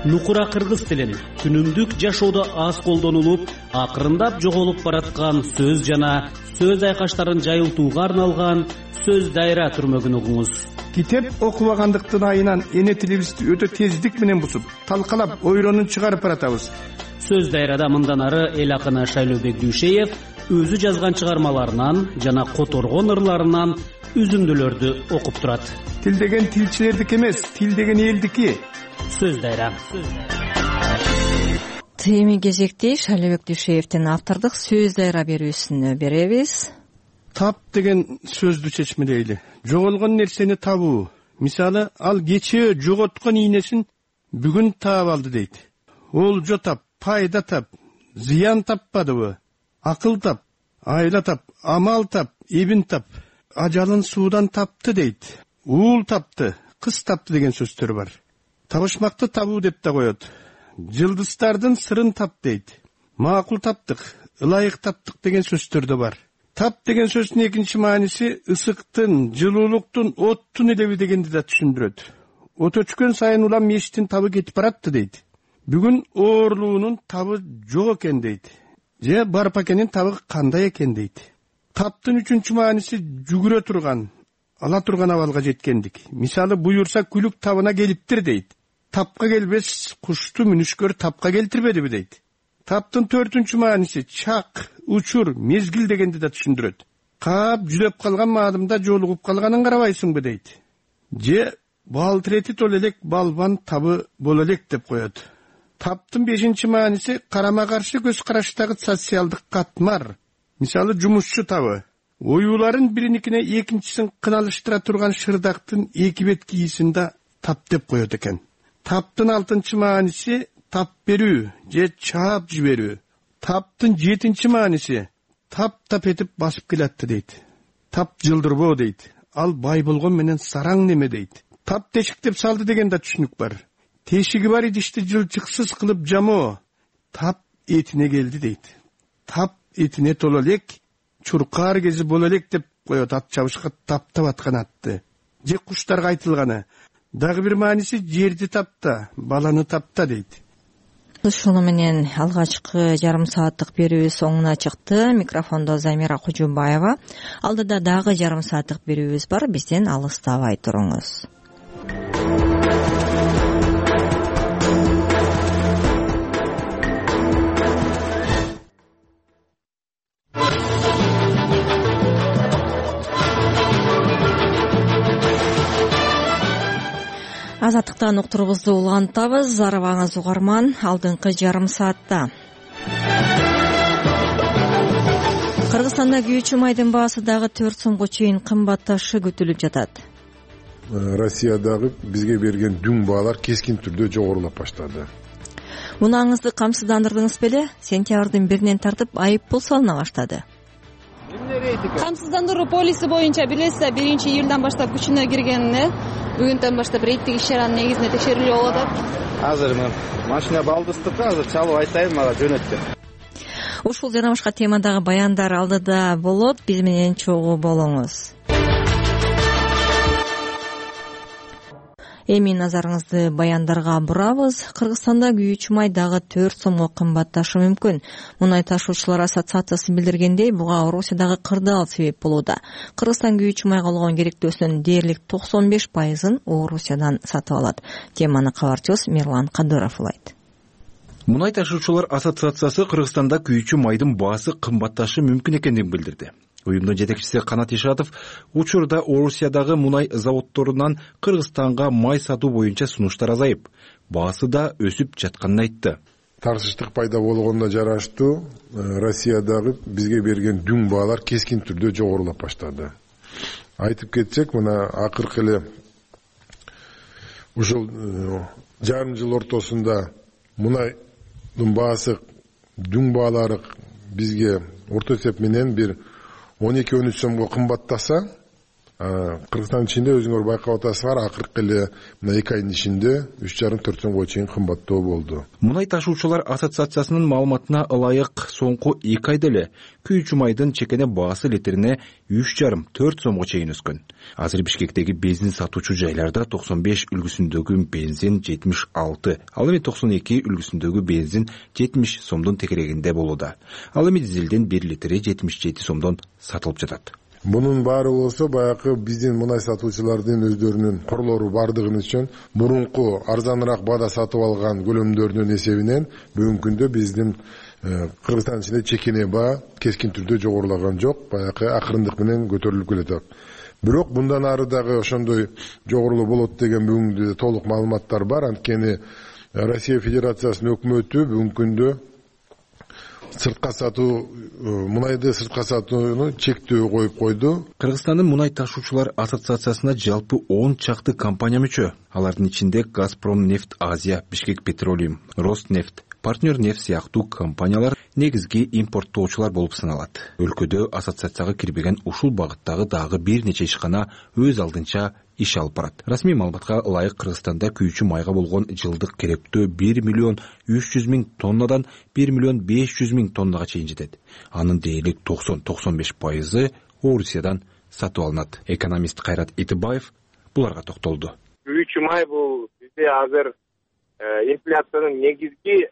Нукура кыргыз тилин күнүмдүк жашоодо аз колдонулуп, акырындап жоголуп бараткан сөз жана сөз айкаштарын жайылтууга арналган сөз дайра түрмөгүн угуңуз. Китеп окубагандыктын айынан эне тилибизди өтө тездик менен бузуп, талкалап, ойронун чыгарып баратабыз. Сөз дайрада мындан ары эл акыны Шайлообек Дүйшеев өзү жазган чыгармаларынан жана которгон ырларынан үзүндүлөрдү окуп турат. Тил деген тилчилердики эмес, тил деген элдики. Сөз дайра. Эми кезекте Шайлообек Дүйшеевдин автордук сөз дайра берүүсүнө беребиз. Тап деген сөздү чечмелейли. Жоголгон нерсени табуу. Мисалы, ал кечээ жоготкон ийнесин бүгүн таап алды дейт. Олжо тап, пайда тап, зыян таппадыбы? Акыл тап, айла тап, амал тап, эбин тап, ажалын суудан тапты дейт. Уул тапты, кыз тапты деген сөздөр бар. Табышмакты табуу деп да коет. Жылдыздардын сырын тап дейт. Макул таптык, ылайык таптык деген сөздөр да бар. Тап деген сөздүн экинчи мааниси ысыктын, жылуулуктун, оттун илеби дегенди да түшүндүрөт. от өчкөн сайын улам мешиттин табы кетип баратты дейт. Бүгүн оорлуунун табы жок экен дейт. Же Барпакенин табы кандай экен дейт. Таптын үчүнчү мааниси жүгүрө турган, ала турган абалга жеткендик. Мисалы буюрса күлүк табына келиптир дейт. Тапка келбес кушту мүнүшкөр тапка келтирбедиби дейт. Таптын төртүнчү мааниси чак, учур, мезгил дегенди да түшүндүрөт. Каап жүдөп калган маадымда жолугуп калганын карабайсыңбы дейт. Же балтырети тол элек балбан табы боло элек деп коет. Таптын бешинчи мааниси карама каршы көз караштагы социалдык катмар. Мисалы жумушчу табы. Оюуларын бириникине экинчисин кыналыштыра турган шырдактын эки бет кийисинде тап деп коет экен. Таптын алтынчы мааниси тап берүү же чаап жиберүү. Таптын жетинчи мааниси тап этип басып келатты дейт. Тап жылдырбоо дейт. Ал бай болгон менен сараң неме дейт. Тап тешиктеп салды деген да түшүнүк бар. Тешиги бар идишти жылчыксыз кылып жамоо. Тап этине келди дейт. Тап этине толо элек, чуркаар кези боло элек деп коет ат чабышка таптап аткан атты. Же куштарга айтылганы. Дагы бир мааниси жерди тапта, баланы тапта дейт. Ушуну менен алгачкы жарым сааттык берүүбүз соңуна чыкты. Микрофондо Замира Кужубаева. Алдыда дагы жарым сааттык берүүбүз бар. Бизден алыстабай туруңуз. Азаттыктан уктурубузду улантабыз. Арыбаңыз угарман. Алдыңкы жарым саатта Кыргызстанда күйүүчү майдын баасы дагы 4 сомго чейин кымбатташы күтүлүп жатат. Россиядагы бизге берген дүң баалар кескин түрдө жогорулап баштады. Мунаңызды камсыздандырдыңыз беле? Сентябрдын 1-нен тартып айып пул салына баштады. Камсыздандыруу полиси боюнча билесиз, 1-июлдан баштап күчүнө киргенине бүгүндөн баштап рейдтик иш-чаранын негизинде текшерүүлөр болуп атат. Азыр мен машина балдыстыкка азыр чалып айтайын, мага жөнөттү. Ушул жана башка темадагы баяндар алдыда болот. Биз менен чогуу болуңуз. Эми назарыңызды баяндарга бурабыз. Кыргызстанда күйүүчү май дагы 4 сомго кымбатташы мүмкүн. Мунай ташуучулар ассоциациясы билдиргендей, буга Орусиядагы кырдаал себеп болууда. Кыргызстан күйүүчү майга болгон керектөөсүнүн дээрлик 95%ын Орусиядан сатып алат. Теманы кабарчыбыз Мирлан Кадыров улайт. Мунай ташуучулар ассоциациясы Кыргызстанда күйүүчү майдын баасы кымбатташы мүмкүн экендигин билдирди. Уюмдун жетекчиси Канат Ишатов учурда Орусиядагы мунай заводдорунан Кыргызстанга май сатуу боюнча сунуштар азайып, баасы да өсүп жатканын айтты. Тарсыштык пайда болгонуна жараштуу Россиядагы бизге берген дүң баалар кескин түрдө жогорулап баштады. Айтып кетсек, мына акыркы эле ушул жарым жыл ортосунда мунайдын баасы дүң баалары бизге орто эсеп менен бир 12-13 сомго кымбаттаса, Кыргызстан ичинде өзүңөр байкап атасыздар, акыркы эле мына 2 айдын ичинде 3,5-4 сомго чейин кымбаттоо болду. Мунай ташуучулар ассоциациясынын маалыматына ылайык соңку 2 айда эле күйүүчү майдын чекене баасы литрине 3,5-4 сомго чейин өскөн. Азыр Бишкектеги бензин сатуучу жайларда 95 үлгүсүндөгү бензин 76, ал эми 92 үлгүсүндөгү бензин 70 сомдун тегерегинде болууда. Ал эми дизелдин 1 литри 77 сомдон сатылып жатат. Мунун баары болсо баягы биздин мунай сатуучулардын өздөрүнүн корлору бардыгын үчүн мурунку арзаныраак баада сатып алган көлөмдөрүнүн эсебинен бүгүнкү күндө биздин Кыргызстан ичинде чекене баа кескин түрдө жогорулаган жок, баягы акырындык менен көтөрүлүп келатат. Бирок мындан ары дагы ошондой жогорулуу болот деген бүгүнкү толук маалыматтар бар. Анткени Россия Федерациясынын өкмөтү бүгүнкү күндө сыртка сатуу мунайды сыртка сатууну чектөө коюп койду. Кыргызстандын мунай ташуучулар ассоциациясына жалпы 10 чакты компания мүчө. Алардын ичинде Газпромнефть Азия, Бишкек Петролиум, Роснефть, Партнер нефть сыяктуу компаниялар негизги импорттоочулар болуп саналат. Өлкөдө ассоциацияга кирбеген ушул багыттагы дагы бир нече ишкана өз алдынча иш алып барат. Расмий маалыматка ылайык Кыргызстанда күйүүчү майга болгон жылдык керектөө 1,3 миллион тоннадан 1,5 миллион тоннага чейин жетет. Анын дээрлик 90-95% Орусиядан сатып алынат. Экономист Кайрат Итибаев буларга токтолду. күйүүчү май бул бизде азыр инфляциянын негизги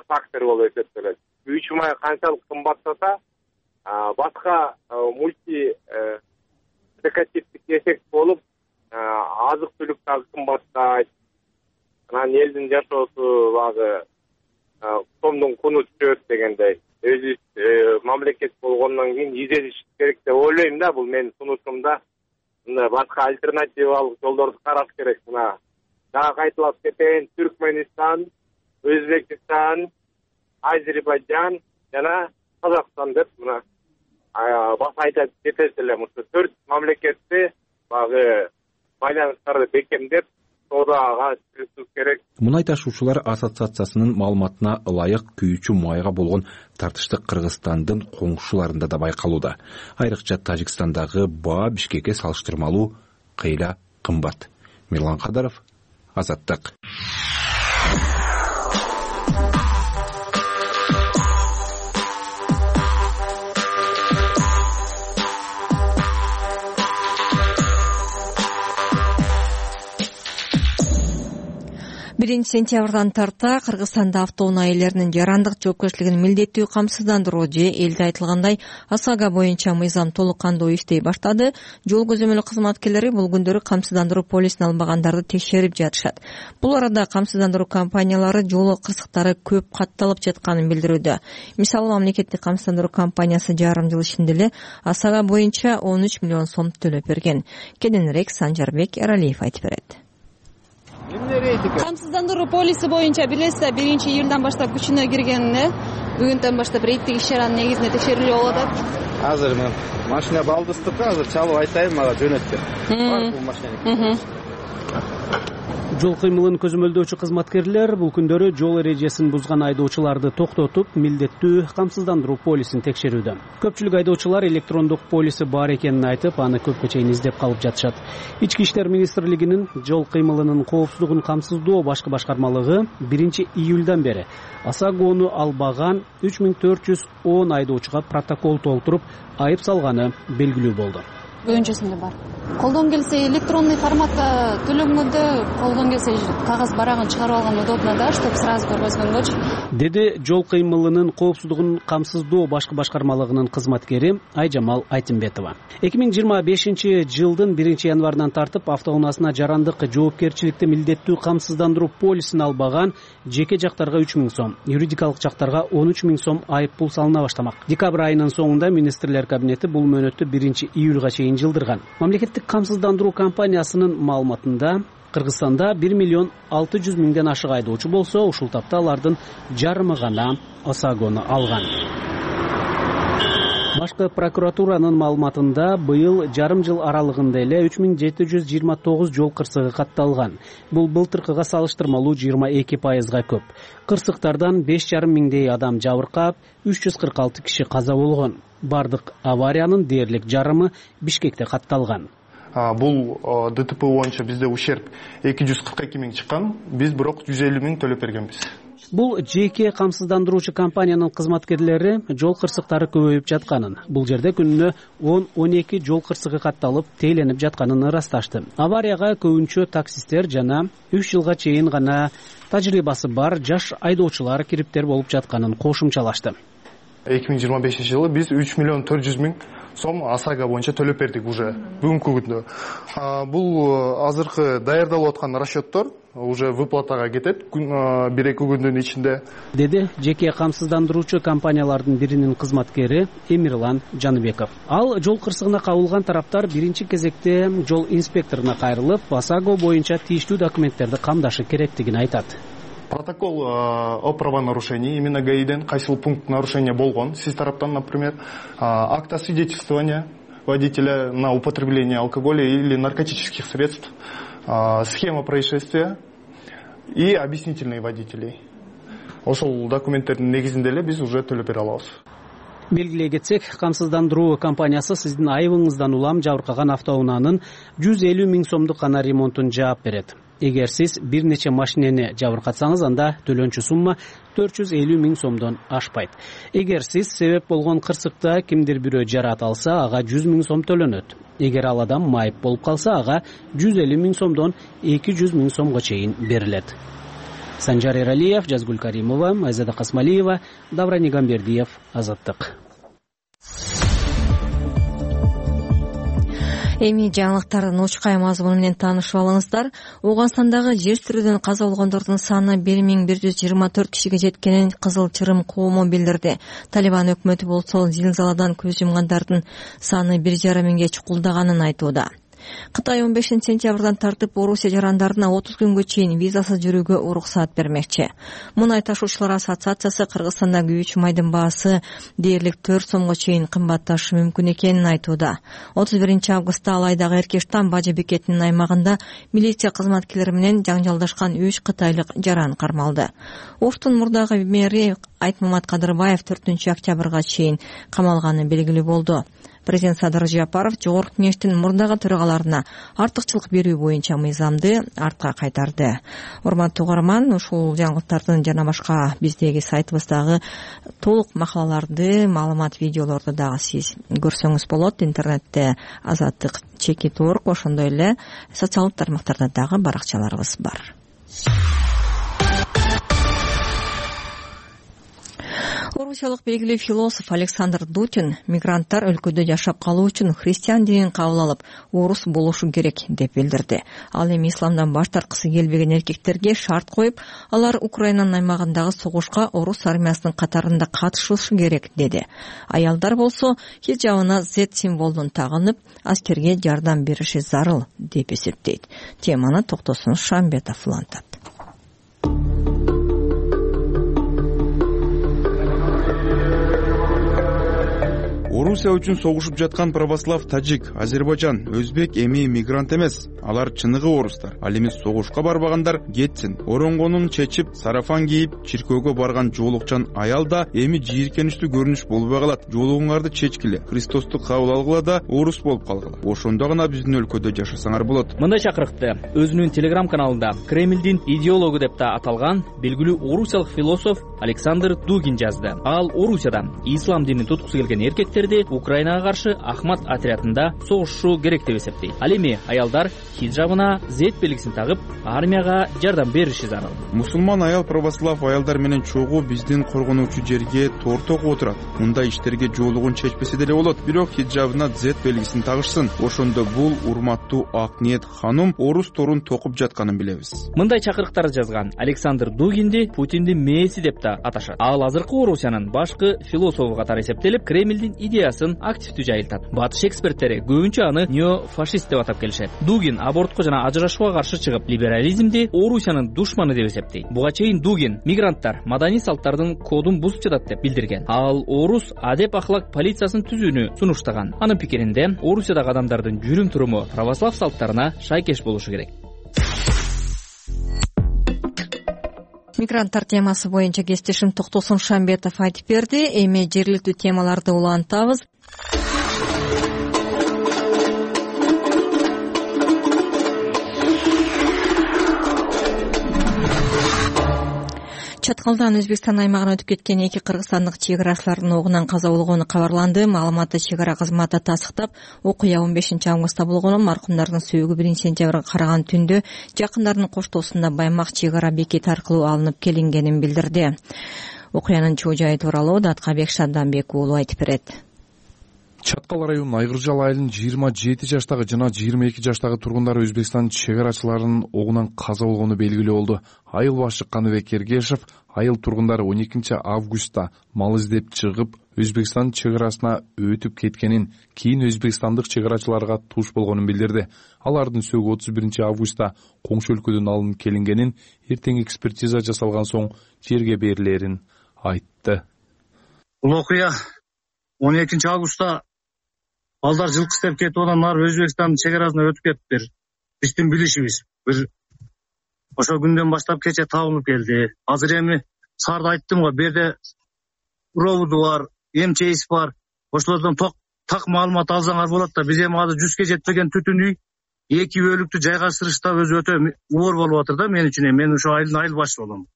фактору болуп эсептелет. Күйүүчү май канчалык кымбаттаса, башка мульти декативдик эффект болуп, азык түлүк дагы кымбаттайт. Анан элдин жашоосу багы сомдун куну түшөт дегендей. Өзүбүз мамлекет болгондон кийин изделиш керек деп ойлойм да, бул менин сунушумда. Мына башка альтернативалык жолдорду караш керек. Мына дагы кайталап кетейин, Түркмөнстан, Өзбекстан, Азербайжан жана Казакстан деп мына баса айтып кетет элем. Ушу 4 мамлекетти багы байланыштарды бекемдеп соодага киргизүү керек. Мунай ташуучулар ассоциациясынын маалыматына ылайык күйүүчү майга болгон тартыштык Кыргызстандын коңшуларында да байкалууда. Айрыкча Тажикстандагы баа Бишкекке салыштырмалуу кыйла кымбат. Мирлан Кадаров, Азаттык. Сентябрдан тарта Кыргызстанда автоунаа ээлеринин жарандык жоопкерчилигин милдеттүү камсыздандыруу же элде айтылгандай ОСАГО боюнча мыйзам толук кандуу иштей баштады. Жол көзөмөлү кызматкерлери бул күндөрү камсыздандыруу полисин албагандарды текшерип жатышат. Бул арада камсыздандыруу компаниялары жол кырсыктары көп катталып жатканын билдирүүдө. Мисалы, мамлекеттик камсыздандыруу компаниясы жарым жыл ичинде эле ОСАГО боюнча 13 миллион сом төлөп берген. Кененирээк Санжарбек Эралиев айтып берет. Камсыздандыруу полиси боюнча билесиз, 1-июлдан баштап күчүнө киргенине бүгүндөн баштап рейдтик иш-чаранын негизинде текшерүүлөр болуп атат. Азыр мен машина балдыстыкка азыр чалып айтайын, мага жөнөттү. Бул машина. Жол кыймылын көзөмөлдөөчү кызматкерлер бул күндөрү жол эрежесин бузган айдоочуларды токтотуп, милдеттүү камсыздандыруу полисин текшерүүдө. Көпчүлүк айдоочулар электрондук полиси бар экенин айтып, аны көпкө чейин издеп калып жатышат. Ички иштер министрлигинин жол кыймылынын коопсуздугун камсыздоо башкы башкармалыгы 1-июлдан бери ОСАГОну албаган 3410 айдоочуга протокол толтуруп, айып салганы белгилүү болду. Көбүнчөсүндө бар. Колдон келсе электронный форматта төлөнгөндө, колдон келсе кагаз барагын чыгарып алган удобно да, чтобы сразу көргөзгөнгөчү. Деди жол кыймылынын коопсуздугун камсыздоо башкы башкармалыгынын кызматкери Айжамал Айтимбетова. 2025 жылдын 1-январынан тартып автоунаасына жарандык жоопкерчиликти милдеттүү камсыздандыруу полисин албаган жеке жактарга 3000 сом, юридикалык жактарга 13 000 сом айып пул салына баштамак. Декабрь айынын соңунда министрлер кабинети бул мөөнөттү 1-июлга чейин жылдырган. Мамлекеттик камсыздандыруу компаниясынын маалыматында Кыргызстанда 1 миллион 600 миңден ашык айдоочу болсо, ушул тапта алардын жарымы гана ОСАГОну алган. Башкы прокуратуранын маалыматында быйыл жарым жыл аралыгында эле 3729 жол кырсыгы катталган. Бул былтыркыга салыштырмалуу 22%га көп. Кырсыктардан 5,5 миңдей адам жабыркап, 346 киши каза болгон. Бардык авариянын дээрлик жарымы Бишкекте катталган. Бул ДТП боюнча бизде ущерб 242 миң чыккан, биз бирок 150 миң төлөп бергенбиз. Бул жеке камсыздандыруучу компаниянын кызматкерлери жол кырсыктары көбөйүп жатканын, бул жерде күнүнө 10-12 жол кырсыгы катталып, тейленип жатканын ырасташты. Аварияга көбүнчө таксисттер жана 3 жылга чейин гана тажрыйбасы бар жаш айдоочулар кириптер болуп жатканын кошумчалашты. 2025 жылы биз 3 миллион 400 миң сом ОСАГО боюнча төлөп бердик уже бүгүнкү күндө. Бул азыркы даярдалып аткан расчеттор уже выплатага кетет 1-2 күндүн ичинде. Деди жеке камсыздандыруучу компаниялардын биринин кызматкери Эмирлан Жаныбеков. Ал жол кырсыгына кабылган тараптар биринчи кезекте жол инспекторуна кайрылып, ОСАГО боюнча тийиштүү документтерди камдашы керектигин айтат. Протокол о правонарушении именно ГАИден кайсыл пункт нарушения болгон, сиз тараптан, например, акт освидетельствования водителя на употребление алкоголя или наркотических средств, схема происшествия и объяснительные водителей. Ошол документтердин негизинде эле биз уже төлөп бере алабыз. Белгилей кетсек, камсыздандыруу компаниясы сиздин айыбыңыздан улам жабыркаган автоунаанын 150 миң сомдук гана ремонтун жаап берет. эгер сиз бир нече машинени жабыркатсаңыз, анда төлөнчү сумма 450 000 сомдон ашпайт. Эгер сиз себеп болгон кырсыкта кимдир бирөө жараат алса, ага 100 000 сом төлөнөт. Эгер ал адам майып болуп калса, ага 150 000 сомдон 200 000 сомго чейин берилет. Санжар Эралиев, Жазгүл Каримова, Айзада Касмалиева, Давран Игамбердиев, Азаттык. Эми жаңылыктардын учкай мазмуну менен таанышып алыңыздар. Ооганстандагы жер тирүүдөн каза болгондордун саны 1124 кишиге жеткенин Кызыл Чырым коому билдирди. Талибан өкмөтү болсо зилзаладан көз жумгандардын саны 1,5 миңге чукулдаганын айтууда. Кытай 15 сентябрдан тартып Орусия жарандарына 30 күнгө чейин визасыз жүрүүгө уруксаат бермекчи. Мунай ташуучулар ассоциациясы Кыргызстанда күйүүчү майдын баасы дээрлик 4 сомго чейин кымбатташы мүмкүн экенин айтууда. 31 августта Алайдагы Эркештан бажы бекетинин аймагында милиция кызматкерлери менен жаңжалдашкан 3 кытайлык жаран кармалды. Оштун мурдагы мэри Айтмамат Кадырбаев 4 октябрга чейин камалганы белгилүү болду. Президент Садыр Жапаров Жогорку Кеңештин мурдагы төрагаларына артыкчылык берүү боюнча мыйзамды артка кайтарды. Урматтуу угарман, ушул жаңылыктардын жана башка биздеги сайтыбыздагы толук макалаларды, маалымат, видеолорду дагы сиз көрсөңүз болот. Интернетте Азаттык /org, ошондой эле социалдык тармактарда дагы баракчаларыбыз бар. Орусиялык белгилүү философ Александр Дутин мигранттар өлкөдө жашап калуу үчүн христиан динин кабыл алып, орус болушу керек деп билдирди. Ал эми исламдан баш тарткысы келбеген эркектерге шарт коюп, алар Украинанын аймагындагы согушка орус армиясынын катарында катышышы керек деди. Аялдар болсо хижабына Z символун тагынып, аскерге жардам бериши зарыл деп эсептейт. Теманы Токтосун Шамбетов улантат. Орусия үчүн согушуп жаткан православ тажик, Азербайджан, өзбек эми мигрант эмес. Алар чыныгы орустар. Ал эми согушка барбагандар кетсин. Оронгонун чечип, сарафан кийип, чиркөөгө барган жоолукчан аял да эми жийиркеничтүү көрүнүш болбой калат. Жоолугуңарды чечкиле, Христосту кабыл алгыла да орус болуп калгыла. Ошондо гана биздин өлкөдө жашасаңар болот. Мындай чакырыкты өзүнүн телеграм каналында Кремлдин идеологу деп да аталган белгилүү орусиялык философ Александр Дугин жазды. Ал Орусияда ислам динин туткусу келген эркектерди Украинага каршы Ахмат отрядында согушу керек деп эсептейт. Ал эми аялдар хиджабына Z белгисин тагып, армияга жардам бериши зарыл. Мусулман аял православ аялдар менен чогуу биздин коргонуучу жерге торт окуп отурат. Мындай иштерге жоолугун чечпесе деле болот. Бирок хиджабына Z белгисин тагышсын. Ошондо бул урматтуу ак ниет ханум орус торун токуп жатканын билебиз. Мындай чакырыктарды жазган Александр Дугинди Путиндин мээси деп да аташат. Ал азыркы Орусиянын башкы философу катары эсептелип, Кремлдин идеясын активдүү жайылтат. Батыш эксперттери көбүнчө аны неофашист деп атап келишет. Дугин абортко жана ажырашууга каршы чыгып, либерализмди Орусиянын душманы деп эсептейт. Буга чейин Дугин мигранттар маданий салттардын кодун бузуп жатат деп билдирген. Ал орус адеп ахлак полициясын түзүүнү сунуштаган. Анын пикиринде Орусиядагы адамдардын жүрүм туруму православ салттарына шайкеш болушу керек. Мигранттар темасы боюнча кесиптешим Токтосун Шамбетов айтып берди. Эми жергиликтүү темаларды улантабыз. Чаткалдан Өзбекстан аймагына өтүп кеткен 2 кыргызстандык чек арачылардын огунан каза болгону кабарланды. Маалыматты чек ара кызматы тастыктап, окуя 15 августта болгон, маркумдардын сөөгү 1 сентябрга караган түндө жакындарынын коштоосунда Баймак чек ара бекети аркылуу алынып келингенин билдирди. Окуянын чоо жайы тууралуу Даткабек Шадданбек уулу айтып берет. Чаткал районунун Айгыржал айылынын 27 жаштагы жана 22 жаштагы тургундары Өзбекстан чек арачыларынын огунан каза болгону белгилүү болду. Айыл башчы Каныбек Эргешев айыл тургундары 12 августта мал издеп чыгып, Өзбекстан чек арасына өтүп кеткенин, кийин өзбекстандык чек арачыларга туш болгонун билдирди. Алардын сөөгү 31 августта коңшу өлкөдөн алынып келингенин, эртең экспертиза жасалган соң жерге берилерин айтты. Бул окуя 12 августта балдар жылкы издеп кетип, анан ары Өзбекстандын чек арасына өтүп кетиптир. Биздин билишибиз бир ошол күндөн баштап кече табылып келди. Азыр эми сарда айттым го, берде проводу бар, МЧС бар. Ошолордон так маалымат алсаңар болот да. Биз эми азыр 100ге жетпеген түтүн үй 2 бөлүктү жайгаштырыш да өзү өтө оор болуп атыр да мен үчүн. Мен ошо айыл башчы болом.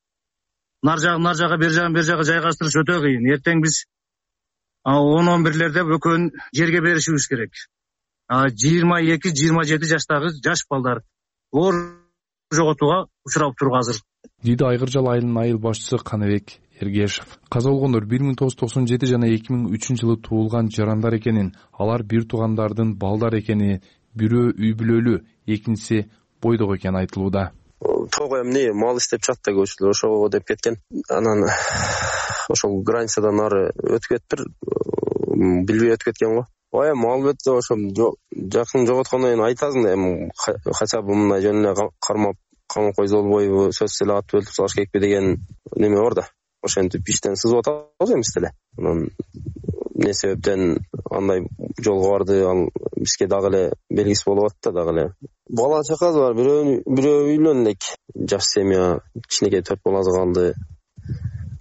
Нар жагы бер жагы жайгаштырыш өтө кыйын. Эртең биз 10-11лерде экөөнү жерге беришибиз керек. 22-27 жаштагы жаш балдар оор жоготууга учурап туруп азыр. Диди Айгыржал айылынын айыл башчысы Каныбек Эргешев. Каза болгондор 1997 жана 2003 жылы туулган жарандар экенин, алар бир туугандардын балдар экени, бирөө үй бүлөлүү, экинчиси бойдок экени айтылууда. Тоо эмне мал иштеп чыкты көчүлөр ошого деп кеткен. Анан ошол границадан ары өтүп кетиптир, билбей өтүп кеткен го. Мал бетте ошо жакын жоготкондон кийин айтасың да, эми хотя бы мындай жөнүнө кармап койсо болбойбу, сөзсүз эле ат өлтүрүп салыш керекпи деген неме бар да. Ошентип иштен сызып атабыз эмес деле. Анан эмне себептен андай жолго барды, ал бизге дагы эле белгисиз болуп атты да, дагы эле. Бала чакасы бар, бирөө үйлөн элек. Жаш семья, кичинекей 4 баласы калды.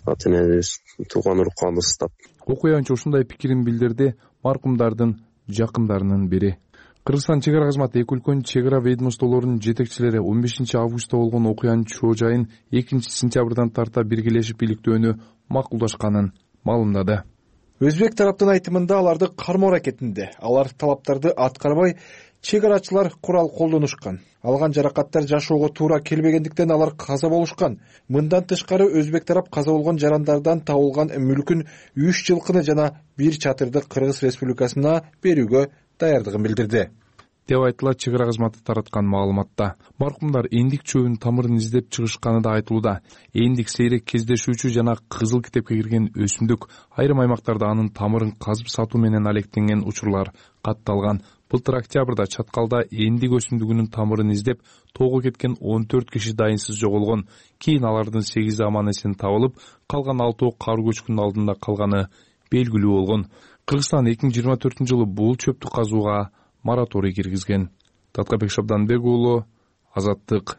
Ата-энебиз тууган уруп калдыбыз да. Окуянчы ушундай пикирин билдирди маркумдардын жакындарынын бири. Кыргызстан чек ара кызматы эки өлкөнүн чек ара ведомстволорунун жетекчилери 15 августта болгон окуянын чоо жайын 2 сентябрдан тарта биргелешип иликтөөнү макулдашканын маалымдады. Өзбек тараптын айтымында аларды кармоо аракетинде. Алар талаптарды аткарбай чек арачылар курал колдонушкан. Алган жаракаттар жашоого туура келбегендиктен алар каза болушкан. Мындан тышкары өзбек тарап каза болгон жарандардан табылган мүлкүн 3 жылкыны жана 1 чатырды Кыргыз Республикасына берүүгө даярдыгын билдирди деп айтылат чек ара кызматы тараткан маалыматта. Маркумдар эндик чөбүнүн тамырын издеп чыгышканы да айтылууда. Эндик сейрек кездешүүчү жана кызыл китепке кирген өсүмдүк, айрым аймактарда анын тамырын казып сатуу менен алектенген учурлар катталган. Былтыр октябрда Чаткалда эндик өсүмдүгүнүн тамырын издеп тоого кеткен 14 киши дайынсыз жоголгон. Кийин алардын 8 аман-эсен табылып, калган 6 кар көчкүнүн алдында калганы белгилүү болгон. Кыргызстан 2024-жылы бул чөптү казууга мораторий киргизген. Таткабек Шабданбек уулу, Азаттык.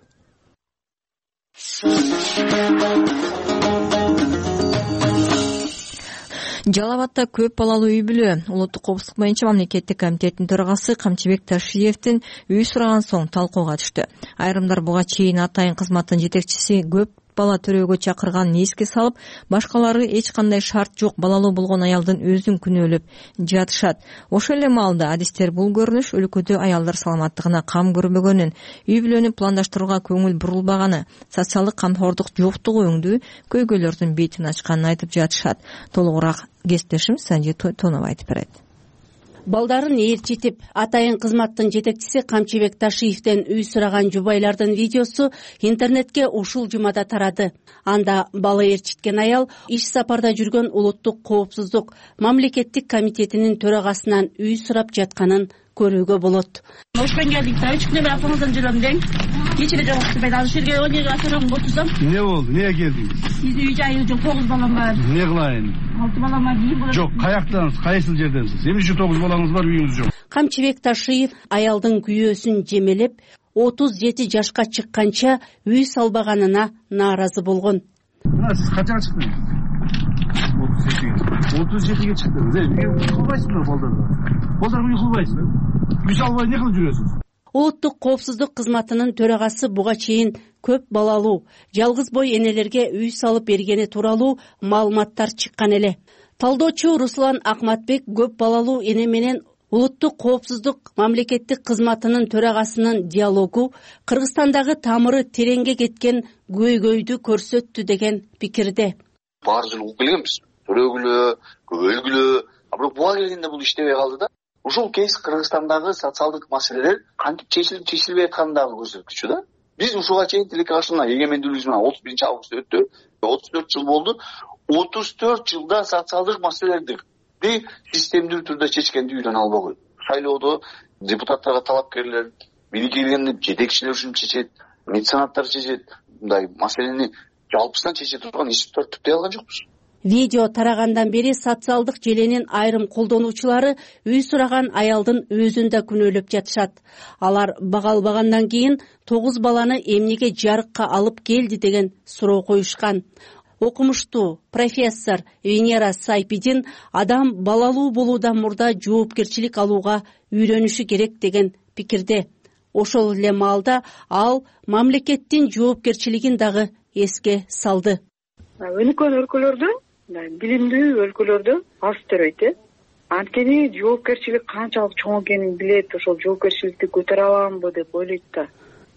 Жалал Абадта көп балалуу үй бүлө улуттук коопсуздук боюнча мамлекеттик комитеттин төрагасы Камчыбек Ташиевдин үй сураган соң талкууга түштү. Айрымдар буга чейин атайын кызматтын жетекчиси көп бала төрөөгө чакырганын эске салып, башкалары эч кандай шарт жок балалуу болгон аялдын өзүн күнөөлөп жатышат. Ошол эле маалда адистер бул көрүнүш өлкөдө аялдар саламаттыгына кам көрбөгөнүн, үй бүлөнү пландаштырууга көңүл бурулбаганы, социалдык камкордук жоктугу өңдүү көйгөйлөрдүн бетин ачканын айтып жатышат. Толугураак кесиптешим Санжи Тонов айтып берет. Балдарын ээрчитип, атайын кызматтын жетекчиси Камчыбек Ташиевден үй сураган жубайлардын видеосу интернетке ушул жумада тарады. Анда бала ээрчиткен аял иш сапарда жүргөн улуттук коопсуздук мамлекеттик комитетинин төрагасынан үй сурап жатканын көрүүгө болот. Ошпен келдик да, үч күндөр апаңыздан жүрөм дең. Кечире жок, мен ал жерге өнөгө атырам отурсам. Не болду? Эмнеге келдиңиз? Бизде үй жайы жок, 9 балам бар. Не кылайын? 6 балама кийин. Жок, каяктансыз? Кайсыл жерденсиз? Эмне үчүн 9 балаңыз бар, үйүңүз жок? Камчыбек Ташиев аялдын күйөөсүн жемелеп, 37 жашка чыкканча үй салбаганына нааразы болгон. Мына сиз канчага чыктыңыз? 37ге чыктыңыз. Эмне кылбайсызбы балдарга? Балдарга үй кылбайсызбы? Үй салбай эмне кылып жүрөсүз? Улуттук коопсуздук кызматынын төрагасы буга чейин көп балалуу, жалгыз бой энелерге үй салып бергени тууралуу маалыматтар чыккан эле. Талдоочу Руслан Акматбек көп балалуу эне менен улуттук коопсуздук мамлекеттик кызматынын төрагасынын диалогу Кыргызстандагы тамыры тереңге кеткен көйгөйдү көрсөттү деген пикирде. Баары жылы угуп келгенбиз. Төрөгүлөө, көбөлгүлөө, бирок буга келгенде бул иштебей калды да. Ушул кейс Кыргызстандагы социалдык маселелер кантип чечилбей атканын дагы көрсөткүчү да. Биз ушуга чейин тилекке каршына эгемендүүлүгүбүз менен 31 август өттү. 34 жыл болду. 34 жылда социалдык маселелерди системдүү түрдө чечкенди үйрөнө албаган. Шайлоодо депутаттарга талапкерлер, бийликке келгенде жетекчилер үчүн чечет, меценаттар чечет. Мындай маселени жалпысынан чече турган институттар түптөй алган жокпуз. Видео тарагандан бери социалдык желенин айрым колдонуучулары үй сураган аялдын өзүн да күнөөлөп жатышат. Алар бага албагандан кийин 9 баланы эмнеге жарыкка алып келди деген суроо коюшкан. Окумуштуу профессор Венера Сайпидин адам балалуу болуудан мурда жоопкерчилик алууга үйрөнүшү керек деген пикирде. Ошол эле маалда ал мамлекеттин жоопкерчилигин дагы эске салды. Өнүккөн өлкөлөрдө, билимдүү өлкөлөрдө аз төрөйт. Анткени жоопкерчилик канчалык чоң экенин билет, ошол жоопкерчиликти көтөрө аламбы деп ойлойт да.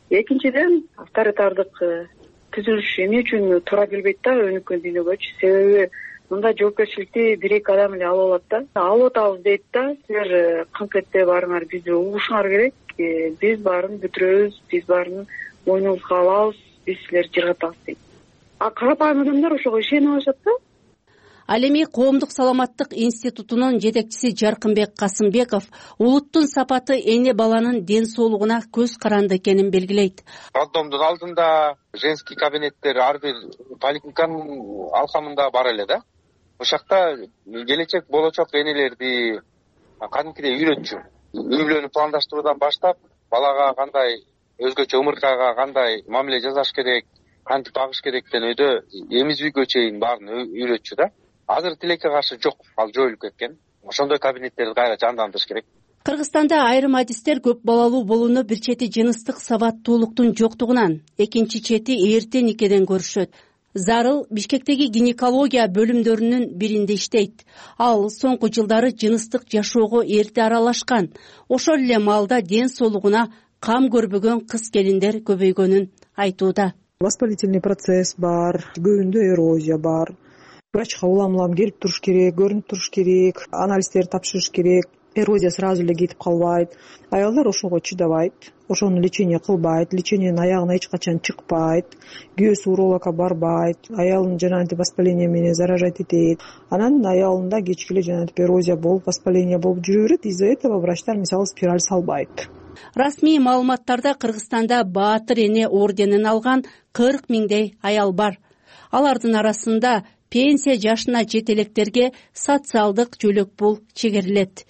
Экинчиден, авторитардык түзүлүш эмне үчүн туура келбейт да өнүккөн дүйнөгөчү? Себеби мындай жоопкерчиликти бир-эки адам эле ала алат да. Алып атабыз дейт да, силер кыңк барыңар, бизди угушуңар керек, биз баарын бүтүрөбүз, биз баарын мойнубузга алабыз, биз силерди жыргатабыз дейт. А карапайым адамдар ошого ишенип алышат да. Ал эми Коомдук саламаттык институтунун жетекчиси Жаркынбек Касымбеков улуттун сапаты эне баланын ден соолугуна көз каранды экенин белгилейт. Роддомдун алдында женский кабинеттер ар бир поликлиниканын алкамында бар эле да. Ошол жакта келечек болочок энелерди кадимкидей үйрөтчү. Үй бүлөнү пландаштыруудан баштап, балага кандай өзгөчө ымыркайга кандай мамиле жасаш керек, кантип багыш керектен өйдө эмизүүгө чейин баарын үйрөтчү да. Азыр тилекке каршы жок, ал жоюлуп кеткен. Ошондой кабинеттерди кайра жандандырыш керек. Кыргызстанда айрым адистер көп балалуу болууну бир чети жыныстык сабаттуулуктун жоктугунан, экинчи чети эрте никеден көрүшөт. Зарыл Бишкектеги гинекология бөлүмдөрүнүн биринде иштейт. Ал соңку жылдары жыныстык жашоого эрте аралашкан. Ошол эле маалда ден соолугуна кам көрбөгөн кыз келиндер көбөйгөнүн айтууда. Воспалительный процесс бар, көбүндө эрозия бар. Врачка улам келип туруш керек, көрүнүп туруш керек, анализдерди тапшырыш керек. Эрозия сразу эле кетип калбайт. Аялдар ошого чыдабайт, ошону лечение кылбайт, лечениенин аягына эч качан чыкпайт, күйөөсү урологко барбайт, аялын жанагынтип воспаление менен заражать этет. Анан аялында кечки эле жанагынтип эрозия болуп, воспаление болуп жүрө берет. Из-за этого врачтар мисалы спираль салбайт. Расмий маалыматтарда Кыргызстанда Баатыр эне орденин алган 40 миңдей аял бар. Алардын арасында пенсия жашына жетелектерге социалдык жөлөк пул чегерилет.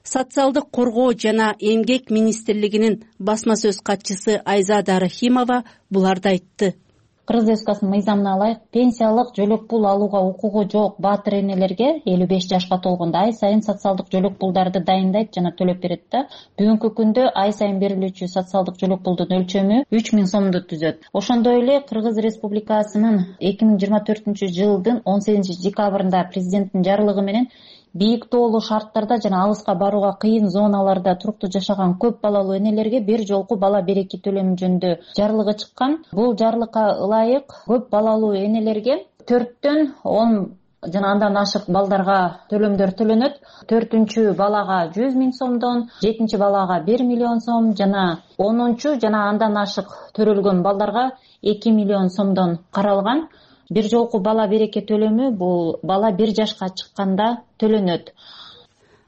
Социалдык коргоо жана эмгек министрлигинин басма сөз катчысы Айзада Рахимова буларды айтты. Кыргыз Республикасынын мыйзамына ылайык пенсиялык жөлөк пул алууга укугу жок баатыр энелерге 55 жашка толгондо ай сайын социалдык жөлөк пулдарды дайындайт жана төлөп берет да. Бүгүнкү күндө ай сайын берилүүчү социалдык жөлөк пулдун өлчөмү 3000 сомду түзөт. Ошондой эле Кыргыз Республикасынын 2024 жылдын 18 декабрында президенттин жарлыгы менен бийик тоолуу шарттарда жана алыска барууга кыйын зоналарда туруктуу жашаган көп балалуу энелерге бир жолку бала береки төлөмү жөнүндө жарлыгы чыккан. Бул жарлыкка ылайык көп балалуу энелерге 4төн 10 жана андан ашык балдарга төлөмдөр төлөнөт. 4-чү балага 100 миң сомдон, 7-чи балага 1 миллион сом жана 10-чу жана андан ашык төрөлгөн балдарга 2 миллион сомдон каралган. Бир жолку бала береке төлөмү бул бала 1 жашка чыкканда төлөнөт.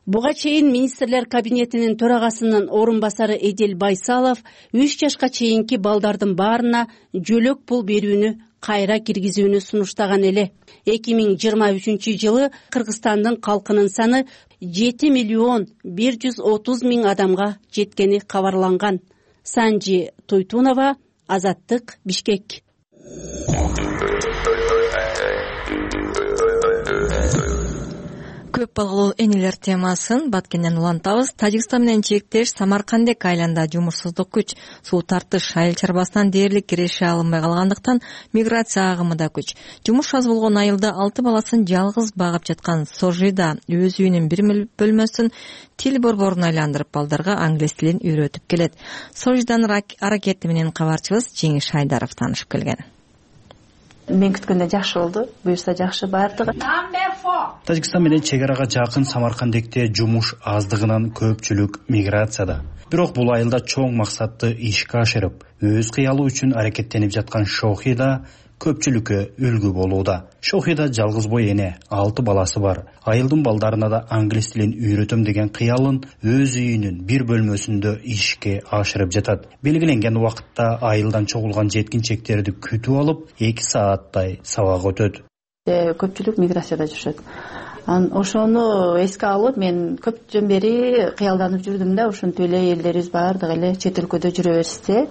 Буга чейин министрлер кабинетинин төрагасынын орун басары Эдил Байсалов 3 жашка чейинки балдардын баарына жөлөк пул берүүнү кайра киргизүүнү сунуштаган эле. 2023 жылы Кыргызстандын калкынын саны 7 миллион 130 миң адамга жеткени кабарланган. Санжи Туйтунова, Азаттык, Бишкек. Көп балалуу энелер темасын Баткенден улантабыз. Тажикстан менен чектеш Самаркандек айылында жумушсуздук күч. Суу тартыш айыл чарбасынан дээрлик киреше алынбай калгандыктан миграция агымы да күч. Жумуш аз болгон айылда 6 баласын жалгыз багып жаткан Сожида өз үйүнүн бир бөлмөсүн тил борборун айландырып балдарга англис тилин үйрөтүп келет. Сожиданын аракети менен кабарчыбыз Жеңиш Айдаров таанышып келген. Мен күткөндөн жакшы болду. Буюрса жакшы баардыгы. Тажикстан менен чек арага жакын Самаркандекте жумуш аздыгынан көпчүлүк миграцияда. Бирок бул айылда чоң максатты ишке ашырып, өз кыялы үчүн аракеттенип жаткан Шохида көпчүлүккө үлгү болууда. Шохида жалгыз бой эне, 6 баласы бар. Айылдын балдарына да англис тилин үйрөтөм деген кыялын өз үйүнүн бир бөлмөсүндө ишке ашырып жатат. Белгиленген убакытта айылдан чогулган жеткинчектерди күтүп алып, 2 сааттай сабак өтөт. Көпчүлүк миграцияда жүрүшөт. Ошону эске алып, мен көп жөн бери кыялданып жүрдүм да, ошентип эле элдерибиз баардыгы эле чет өлкөдө жүрө берсе,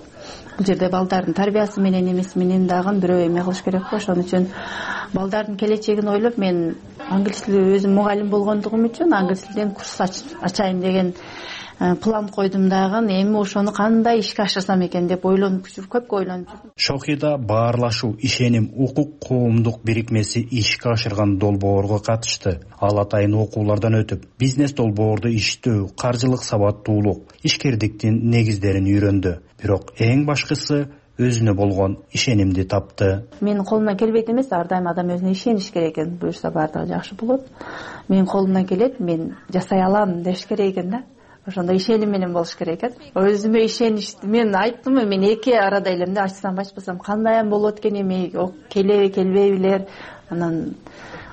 бул жерде балдардын тарбиясы менен эмеси менен дагы бирөө эме кылыш керек го. Ошон үчүн балдардын келечегин ойлоп, мен англис тили өзүм мугалим болгондугум үчүн англис тилден курс ачайын деген план койдум дагы эми ошону кандай ишке ашырсам экен деп ойлонуп жүрүп көпкө ойлонуп жүрдүм. Шохида Баарлашуу ишеним укук коомдук бирикмеси ишке ашырган долбоорго катышты. Ал атайын окуулардан өтүп, бизнес долбоорду иштөө, каржылык сабаттуулук, ишкердиктин негиздерин үйрөндү. Бирок эң башкысы өзүнө болгон ишенимди тапты. Менин колумдан келбейт эмес, ар дайым адам өзүнө ишениш керек экен. Буюрса баардыгы жакшы болот. Менин колумдан келет, мен жасай алам деш керек экен да. Ошондой ишеним менен болуш керек экен. Өзүмө ишеничти. Мен айттым, мен эки арада элем да, ачсам ачпасам кандай болот экен эми, келеби келбейбилер. Анан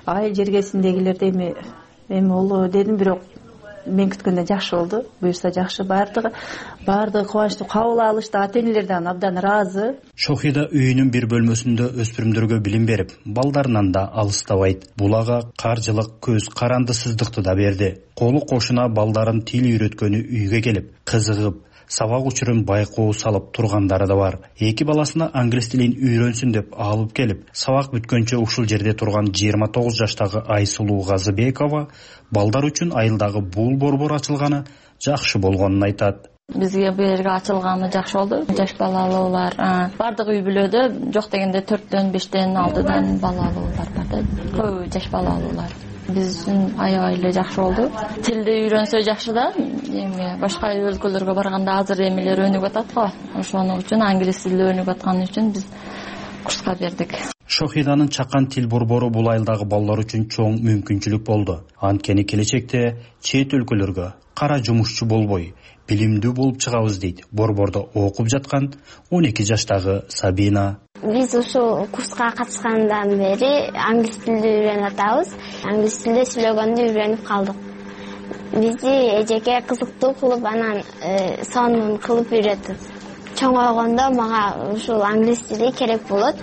айыл жергесиндегилерде эми болобу дедим, бирок мен күткөндөн жакшы болду. Буюрса жакшы, баардыгы кубанычтуу кабыл алышты. Ата энелер да абдан ыраазы. Шохида үйүнүн бир бөлмөсүндө өспүрүмдөргө билим берип, балдарынан да алыстабайт. Бул ага каржылык көз карандысыздыкты да берди. Колу кошуна балдарын тил үйрөткөнү үйгө келип, кызыгып, сабак учурун байкоо салып тургандары да бар. Эки баласына англис тилин үйрөнсүн деп алып келип, сабак бүткөнчө ушул жерде турган 29 жаштагы Айсулуу Газыбекова балдар үчүн айылдагы бул борбор ачылганы жакшы болгонун айтат. Бизге бул жерге ачылганы жакшы болду. Жаш балалуулар бардык үй бүлөдө жок дегенде 4төн 5тен 6дан балалуулар бар да. Көбү жаш балалуулар. Биз үчүн аябай эле жакшы болду. Тилди үйрөнсө жакшы да. Эми башка өлкөлөргө барганда азыр эмелер өнүгүп атат го. Ошону үчүн англис тили өнүгүп атканы үчүн биз курска бердик. Шохиданын чакан тил борбору бул айылдагы балдар үчүн чоң мүмкүнчүлүк болду. Анткени келечекте чет өлкөлөргө кара жумушчу болбой, билимдүү болуп чыгабыз дейт борбордо окуп жаткан 12 жаштагы Сабина. Биз ушул курска катышкандан бери англис тилди үйрөнүп атабыз. Англис тилде сүйлөгөндү үйрөнүп калдык. Бизди эжеке кызыктуу кылып, анан сонун кылып үйрөтөт. Чоңойгондо мага ушул англис тили керек болот.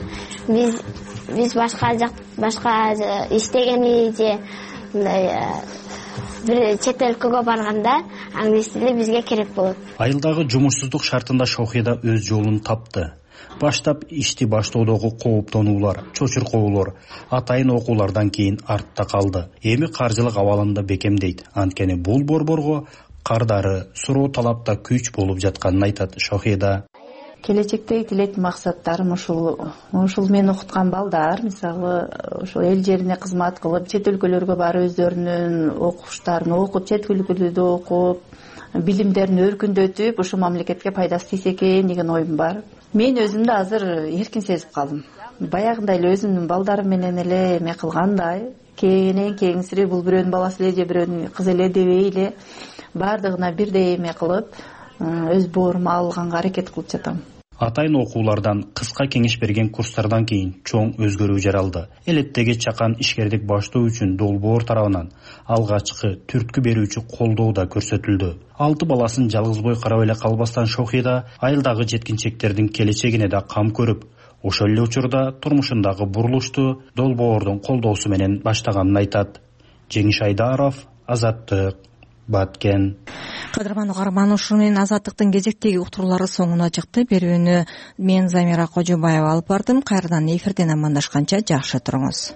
Биз башка иштегени же бир чет өлкөгө барганда англис тили бизге керек болот. Айылдагы жумушсуздук шартында Шохида өз жолун тапты. Баштап ишти баштоодогу кооптонуулар, чочуркоолор, атайын окуулардан кийин артта калды. Эми каржылык абалында бекемдейт. Анткени бул борборго кардары, суроо талапта күч болуп жатканын айтат Шохида. Келечектеги тилектин максаттарым ушул мен окуткан балдар, мисалы, ошол эл жерине кызмат кылып, чет өлкөлөргө барып өздөрүнүн окуштарын окуп, чет өлкөлөрдө окуп, билимдерин өркүндөтүп, ушул мамлекетке пайдасы тийсе экен деген оюм бар. Мен өзүмдү азыр эркин сезип калдым. Баягындай эле өзүмдүн балдарым менен эле эме кылгандай, кеңсири бул бирөөнүн баласы эле же бирөөнүн кызы эле дебей эле баардыгына бирдей эме кылып, өз боорума алганга аракет кылып жатам. Атайын окуулардан, кыска кеңеш берген курстардан кийин чоң өзгөрүү жаралды. Элеттеги чакан ишкердик баштоо үчүн долбоор тарабынан алгачкы түрткү берүүчү колдоо да көрсөтүлдү. 6 баласын жалгыз бой карап эле калбастан Шохида айылдагы жеткинчектердин келечегине да кам көрүп, ошол эле учурда турмушундагы бурулушту долбоордун колдоосу менен баштаганын айтат. Жеңиш Айдаров, Азаттык, Баткен. Кадырман угарман, ушуну менен Азаттыктын кезектеги уктуруулары соңуна чыкты. Берүүнү мен Замира Кожобаева алып бардым. Кайрадан эфирден амандашканча жакшы туруңуз.